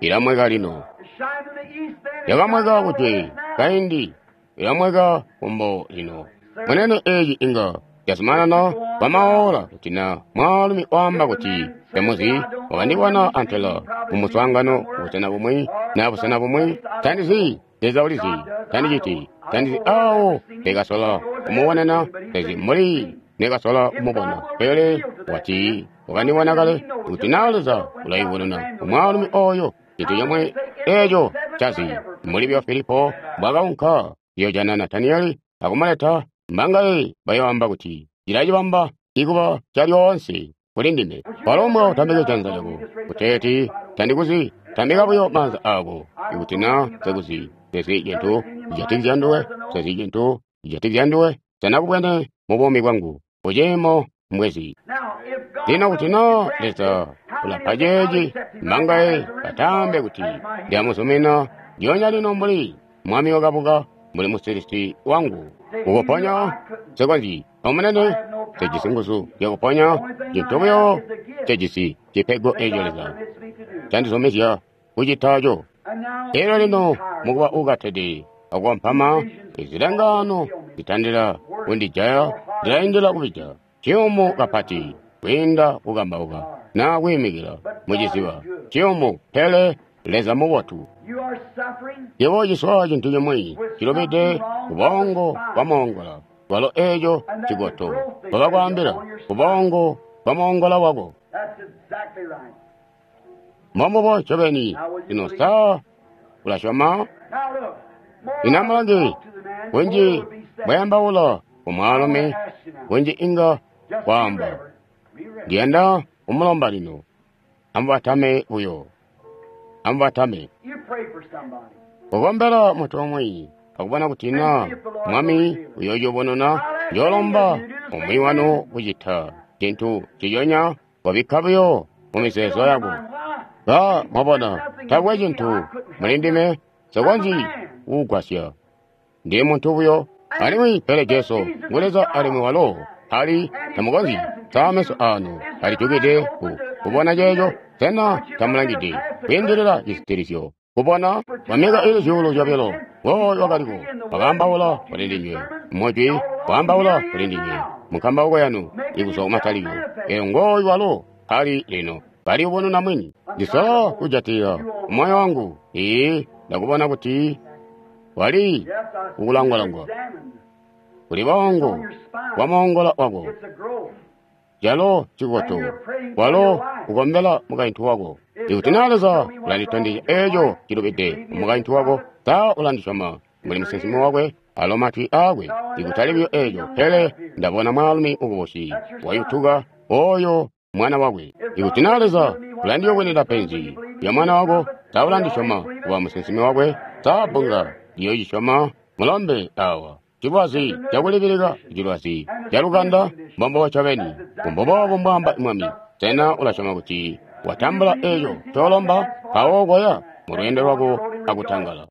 ilamweka lino. It shined in the east then. It Yakamweka shines in the kujwe west now. kaindi, ilamweka kumbo lino. Munene eeci inga cazumanana kwa maola kuti na mwaalumi waamba kuti temuzi wakandibona antela mumuswaangano kubusena bumwi na busena bumwi. Tandizi, Leza ulizi, tandiciti, tandizi awo ndikasola kumubonena, tezi mbuli ndikasola kumubona. Pele wati wakandibona kale kuti na Leza ulayibonena umwaalumi oyo cintu comwe eeco cazi. Mbuli byo Filipo mbwakaunka kuyojana Nataniyeli akumuleta, mbangaye bayoamba kuti cilacibamba ikuba calyoonse kuli ndime. Walombwa utambike janza lyako kuteeti tandikuzi. Tambika buyo maanza ako ikuti na sekuzi. Sezi cintu cijatikizya nduwe, sezi cintu cijatikizya nduwe. Senakubwene mu buumi bwangu kuciimo mbwezi. Now, if God Lino kuti na will grant Leza it, how many ulapa will God ceeci, accept him right now mbangaye as the risen batambe Lord kuti as my healer? ndiyamuzumina lyoonya lino mbuli mwami wakabuka mbuli musilisi wangu. Kukuponya sekonzyi omunene sejisi nguzu zyakuponya cintu buyo cejisi cipego eeco God Leza permits me to do. candizumizya kucitaco. And now, Elyo lino being tired, mukuba ukatede akukompama, izilengano zitandila kundijaya, zilaindila kubija ciyumu kapati kwiinda kukambauka na kwiimikila muciziba ciyumu. Pele Leza mubotu. you are suffering Yebo ciswa cintu cimwi cilubide kubongo bwa moongola walo eeco cigoto bakakwaambila kubongo bwa moongola wako. That's exactly right. Mbombubo ncobeni. Lino sa ulasyoma? Now look, more Lino amulange talk to the man, kunji more will be said. bwayambaula kumwaalumi Kunji inga kwaamba. Ndiyanda kumulomba lino. Amubatame buyo. Amubatame. Kukombela muntu umwi akubona kuti na Mwami uyoyubununa, njoolomba umwi wanu kucita cintu ciyonya wabikka buyo mu mizeezo yako. Ba mwabona, taakwe cintu muli ndime nsikonzyi kukugwasya. Ndi muntu buyo. Alimwi pele Jesu ngu Leza alimwi walo ali tamukonzyi. Sa meso aanu alijukide ku kubona ceeco? Sena tamulangide kwiindilila cisitilizyo kubona? Kwa myaka ili 2,000 ngooyu wakaliko wakaambaula kuli ndinywe mujwi, waambaula kuli ndinywe munkambauko yanu ikuzwa kumatalikilo. Elyo ngooyu walo ali lino kaliyubununa mwini. Ndisola kujatilila moyo wangu. Ee, ndakubona kuti wali kukulangwalangwa kuli bongo bwa moongola wako, calo cikoto walo ukombela mukaintu wako. Ikuti naa Leza ulanditondezya eeco cilubide mukaintu wako, sa ulandisyoma mbuli musinsimi wakwe alo matwi aakwe? Ikutali buyo eeco, pele ndabona mwaalumi mukubusi wayutuka oyo mwana wakwe. Ikuti naa Leza ulandiyubunwida penzi lya mwana wako, sa ulandisyoma kuba musinsimi wakwe? Sa bbunga liyoocisyoma? Mulombe awa cilwazi cakulibilika, cilwazi calukanda, mbombo ncobeni. Mbuboobo mbwaamba Mwami. Sena ulasyoma kuti watambula eeco ncoolomba? Mpawo koya mulweendo lwako akutangala.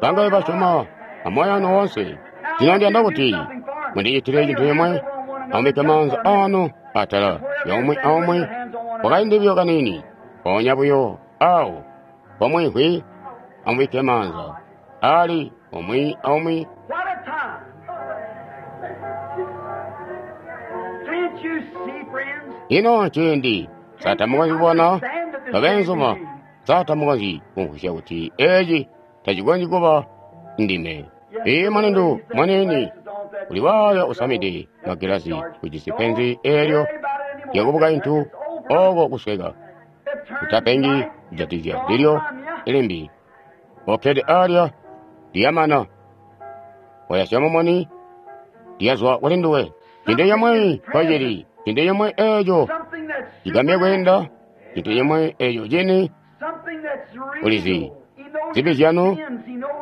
Bangaye basyoma amoyo wanu woonse? Lino ndiyanda kuti mundicitile cintu cimwe. Amubikke maanza aanu atala lya umwi aumwi kwakaindi buyo kaniini. Mpoonya buyo aawo pomwiimvwi, amubikke maanza ali umwi aumwi. Ino ciindi sa tamukonzyi kubona, babeenzuma? Sa tamukonzyi kumvwisya kuti eeci tacikonzyi kuba ndime? Ii mulindu muniini uli waayo usamide magilazi ujisi penzi eelyo lyakubukaintu ooko kusweka. Utapengi kujatikizya ndilyo limbi. Okkede alya liyamana. Wayasya mumuni liyazwa kuli nduwe. Cintu cimwi mpocili, cintu cimwi eeco cigambya kwiinda, cintu cimwi eeco cini. Ulizi zibi zyanu,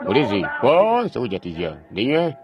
ulizi koonse kujatikizya ndinywe.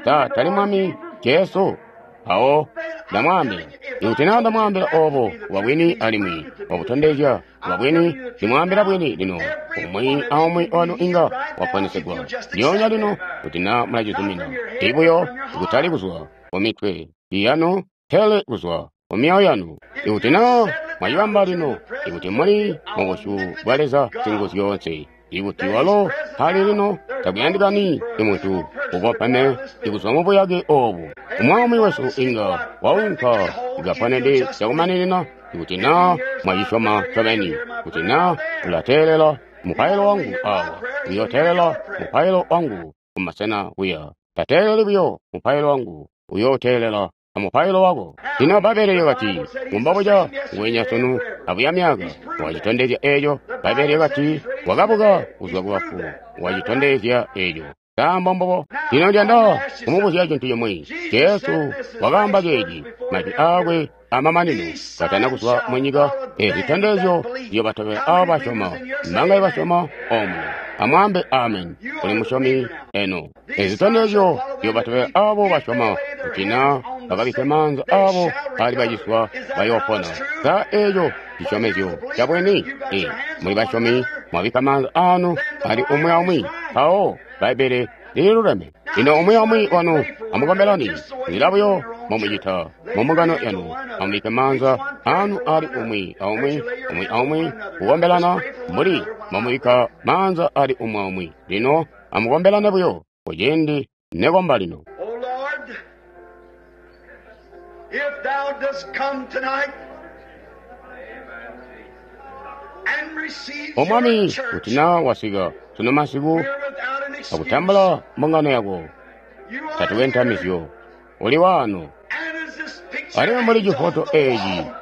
Sa tali Mwami Jesu? Mpawo ndamwaambila, ikuti naa ndamwaambila oobo kuba bwini alimwi wabutondezya kuba bwini, ndimwaambila bwini lino, umwi aumwi wanu inga waponesegwa ndyoonya lino kuti naa mulacizumina. Ibuyo ikutali kuzwa kumitwe yanu, pele kuzwa kumyoyo yanu. Ikuti naa mwacibamba lino, ikuti muli mubusyu bwa Leza Singuzyoonse, ikuti walo ali lino, takuyandikani imuntu ukopane ikuzwa mubuyake oobu. Umwi wesu inga waunka ikaponede cakumaninina ikuti naa mwacisyoma ncobeni, kuti naa ulateelela mupailo wangu awa, uyooteelela mupailo wangu kumasena kuya. Tateeleli buyo mupailo wangu, uyooteelela amupailo wako. Lino Bbaibbele lyakati, mumbobuca nguwenya sunu abuya myaka, wacitondezya eeco. Bbaibbele lyakati, wakabuka kuzwa kubafu, wacitondezya eeco. Sa mbombubo? Lino ndiyanda kumubuzya cintu cimwi. Jesu wakaamba ceeci, majwi aakwe amamanino katana kuzwa munyika. Eezi zitondezyo ziyobatobela aabo basyoma. Mbangaye basyoma omuno? Amwaambe amen. Kuli musyomi eno. Eezi zitondezyo ziyobatobela aabo basyoma kuti naa bakabikke maanza aabo ali baciswa bayoopona. Sa eeco cisyomezyo cabwini? Ee, muli basyomi, mwabikka maanza aanu ali umwi aumwi. Mpawo Bbaibbele lililuleme. Lino umwi aumwi wanu amukombelani nzila buyo mbomucita mumbungano yanu. Amubikke maanza aanu ali umwi aumwi, umwi aumwi kukombelana mbuli mbomubikka maanza ali umwi aumwi. Lino amukombelane buyo kuciindi nekomba lino. If thou dost come tonight and receive O Mwami, your church, kuti naa wasika sunu masiku we're without an excuse. akutambula mbungano yako, You are tatuwe here, ntamizyo, uli waano. and as this picture Alimwi mbuli hangs on cifoto the eeci wall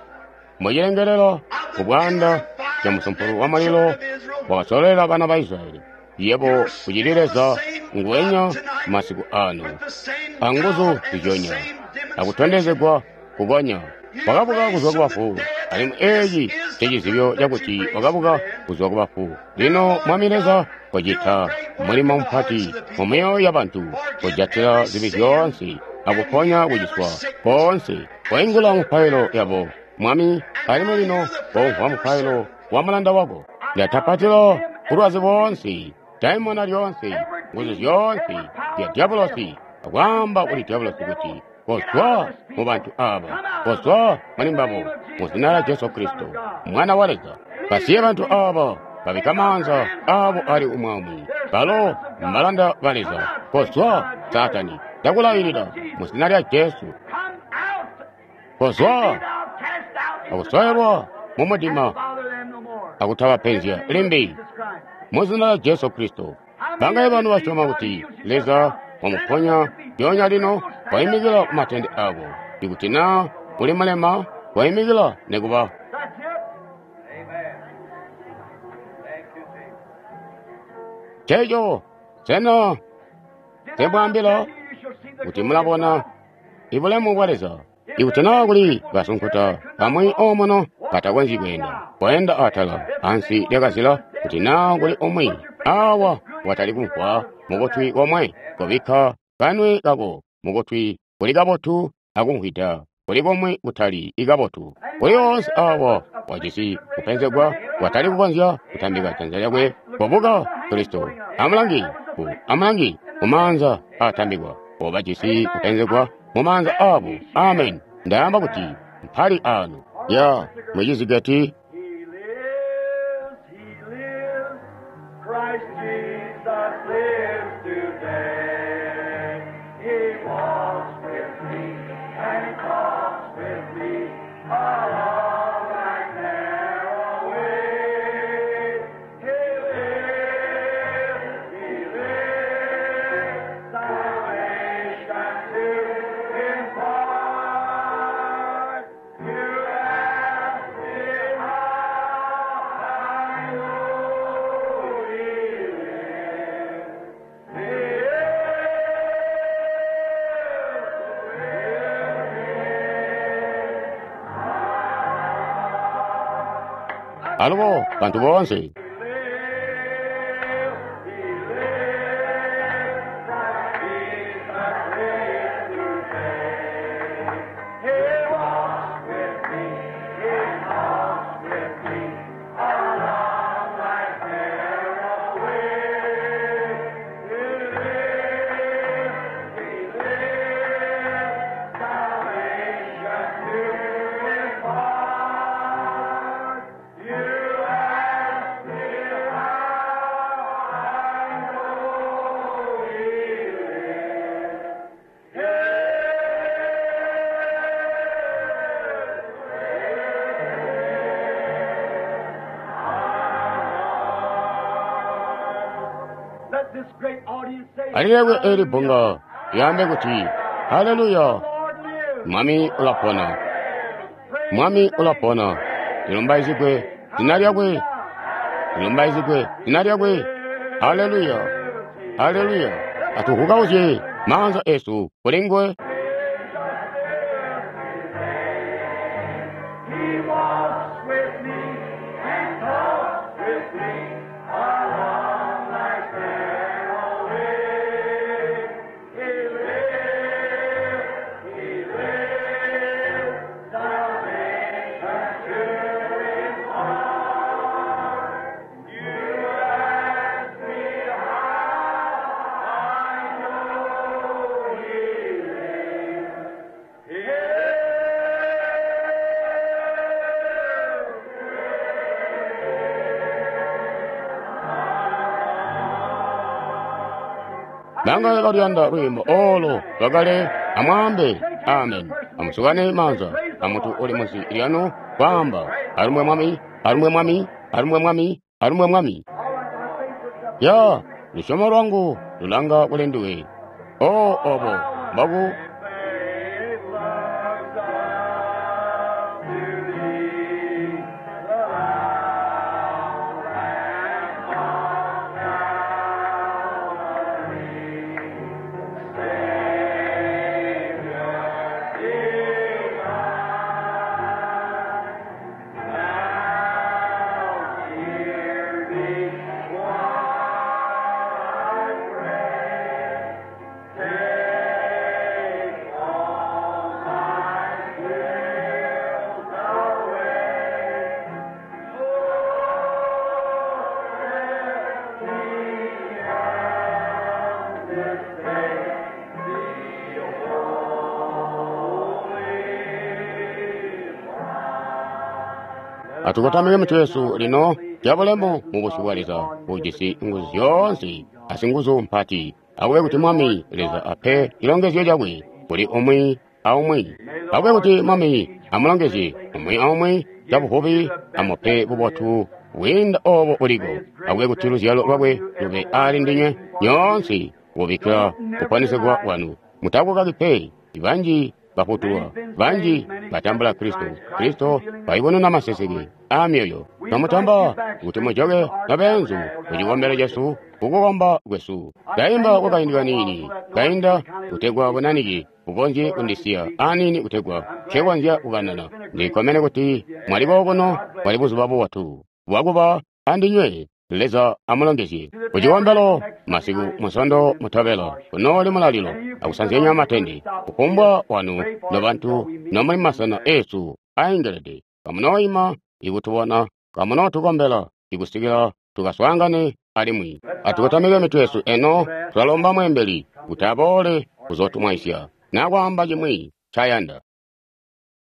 mucilengelela of ku the bwanda pillar of ca fire musumpulu that wa led the mulilo children of Israel, wakasololela bana ba Israeli, yebo you're kucili still the Leza same nguwenya God tonight masiku ano, with the same anguzu power and the zizyonya, same akutondezegwa kukonya. Wakabuka kuzwa kubafu, alimwi eeci ncecizibyo cakuti wakabuka kuzwa kubafu. Lino Mwami Leza, kocita mulimo mupati mumyoyo yabantu, kojatila zibi zyoonse akuponya kuciswa koonse. Koingula mupailo yabo, Mwami, alimwi lino komvwa mupailo wa mulanda wako. Ndatapatila bulwazi boonse, daimona lyoonse, nguzu zyoonse zya dyabulosi, akwaamba kuli dyabulosi kuti kozwa mu bantu aba, kozwa muli mbabo, mu zina lya Jesu Kristo, Mwana wa Leza. Basiye bantu aba, babika maanza abo ali umwaumwi, balo mbalanda ba Leza. Kozwa, Saatani, ndakulailila mu zina lya Jesu. Kozwa akuswayelwa mu mudima akutabapenzya limbi mu zina lya Jesu Kristo. Bangaye banu basyoma kuti Leza wamuponya lyoonya lino, waimikila ku matende ako. Ikuti naa uli mulema, waimikila nekuba. Nceeco, sena nsemwaambila kuti mulabona ibulemu bwa Leza? Ikuti naa kuli basunkuta bamwi omuno batakonzyi kweenda, kweenda atala ansi lyakazila, kuti naa kuli umwi awa watali kumvwa mukutwi komwe, kobikka kanwe kako mukutwi kuli kabotu akumvwida kuli komwe kutali ikabotu. Kuli woonse awa wajisi kupenzegwa watali kukonzya kutambika janza lyakwe, kobuka Kristo. Amulangi, amulangi mumaanza aatambikwa, obajisi kupenzegwa mumaanza abo. Amen. Ndaamba kuti mpali ano ya mucizigati. He lives, he lives, Christ Jesus lives today. He walks with me and he talks with me along that narrow way. He lives, he lives, salvation to impart. You ask me how I know he lives. He Alubo bantu boonse. Let this great audience say, Alilekwe eli bbunga lyaambe kuti haleluya, Lord lives. Mwami ulapona, Mwami ulapona. Lilumbaizigwe zina lyakwe, lilumbaizigwe zina lyakwe. Haleluya, haleluya. Atuhukauzye maanza esu kuli nguwe. He walks with me and talks with me along life's narrow way. He lives, he lives, salvation to impart. You ask me how I know he lives. He Bangaye baluyanda lwiimbo olo lwakale, amwaambe amen. Amusukane maanza amuntu uli munsi lyanu kwaamba alumbwe Mwami, alumbwe Mwami, alumbwe Mwami, alumbwe Mwami. Ya lusyomo lwangu lulanga kuli nduwe. O obo mbaku Faith looks up to thee, the Lamb on Calvary, Savior divine. Atukotamike mitwe yesu lino cabulemu mu busyu bwa Leza ujisi nguzu zyoonse asinguzu mpati. Akube kuti Mwami Leza ape cilongezyo cakwe kuli umwi aumwi. Akube kuti Mwami amulongezye umwi aumwi cabuvubi, amupe bubotu bwiinda obo buliko. Akube kuti luzyalo lwakwe lube ali ndinywe nyoonse kubikkila kuponesegwa kwanu. Mutakukaki pe, banji bafutulwa, banji batambula Kristo. Kristo wayubununa maseseke a myoyo. Twamutamba kuti mujoke nobeenzu ku cikombelo cesu kukukomba kwesu. Ndaimba kwakaindi kaniini kainda kutegwa bunanike bukonzye kundisiya aniini kutegwa nkekonzya kukanana. Ndikkomene kuti mwali kokuno, bwali buzuba bubotu bwakuba andinywe. Leza amulongezye. Ku cikombelo masiku musondo mutobela kunooli mulalilo akusanzyanya matende. Kufumbwa wanu nobantu nomuli masena eesu aengelede, kamunooima ikutubona, kamunootukombela ikusikila tukaswaangane alimwi. Atukotamike mitwe yesu eno, tulalomba mweembeli kuti aboole kuzootumwaisya na kwaamba cimwi ncayanda.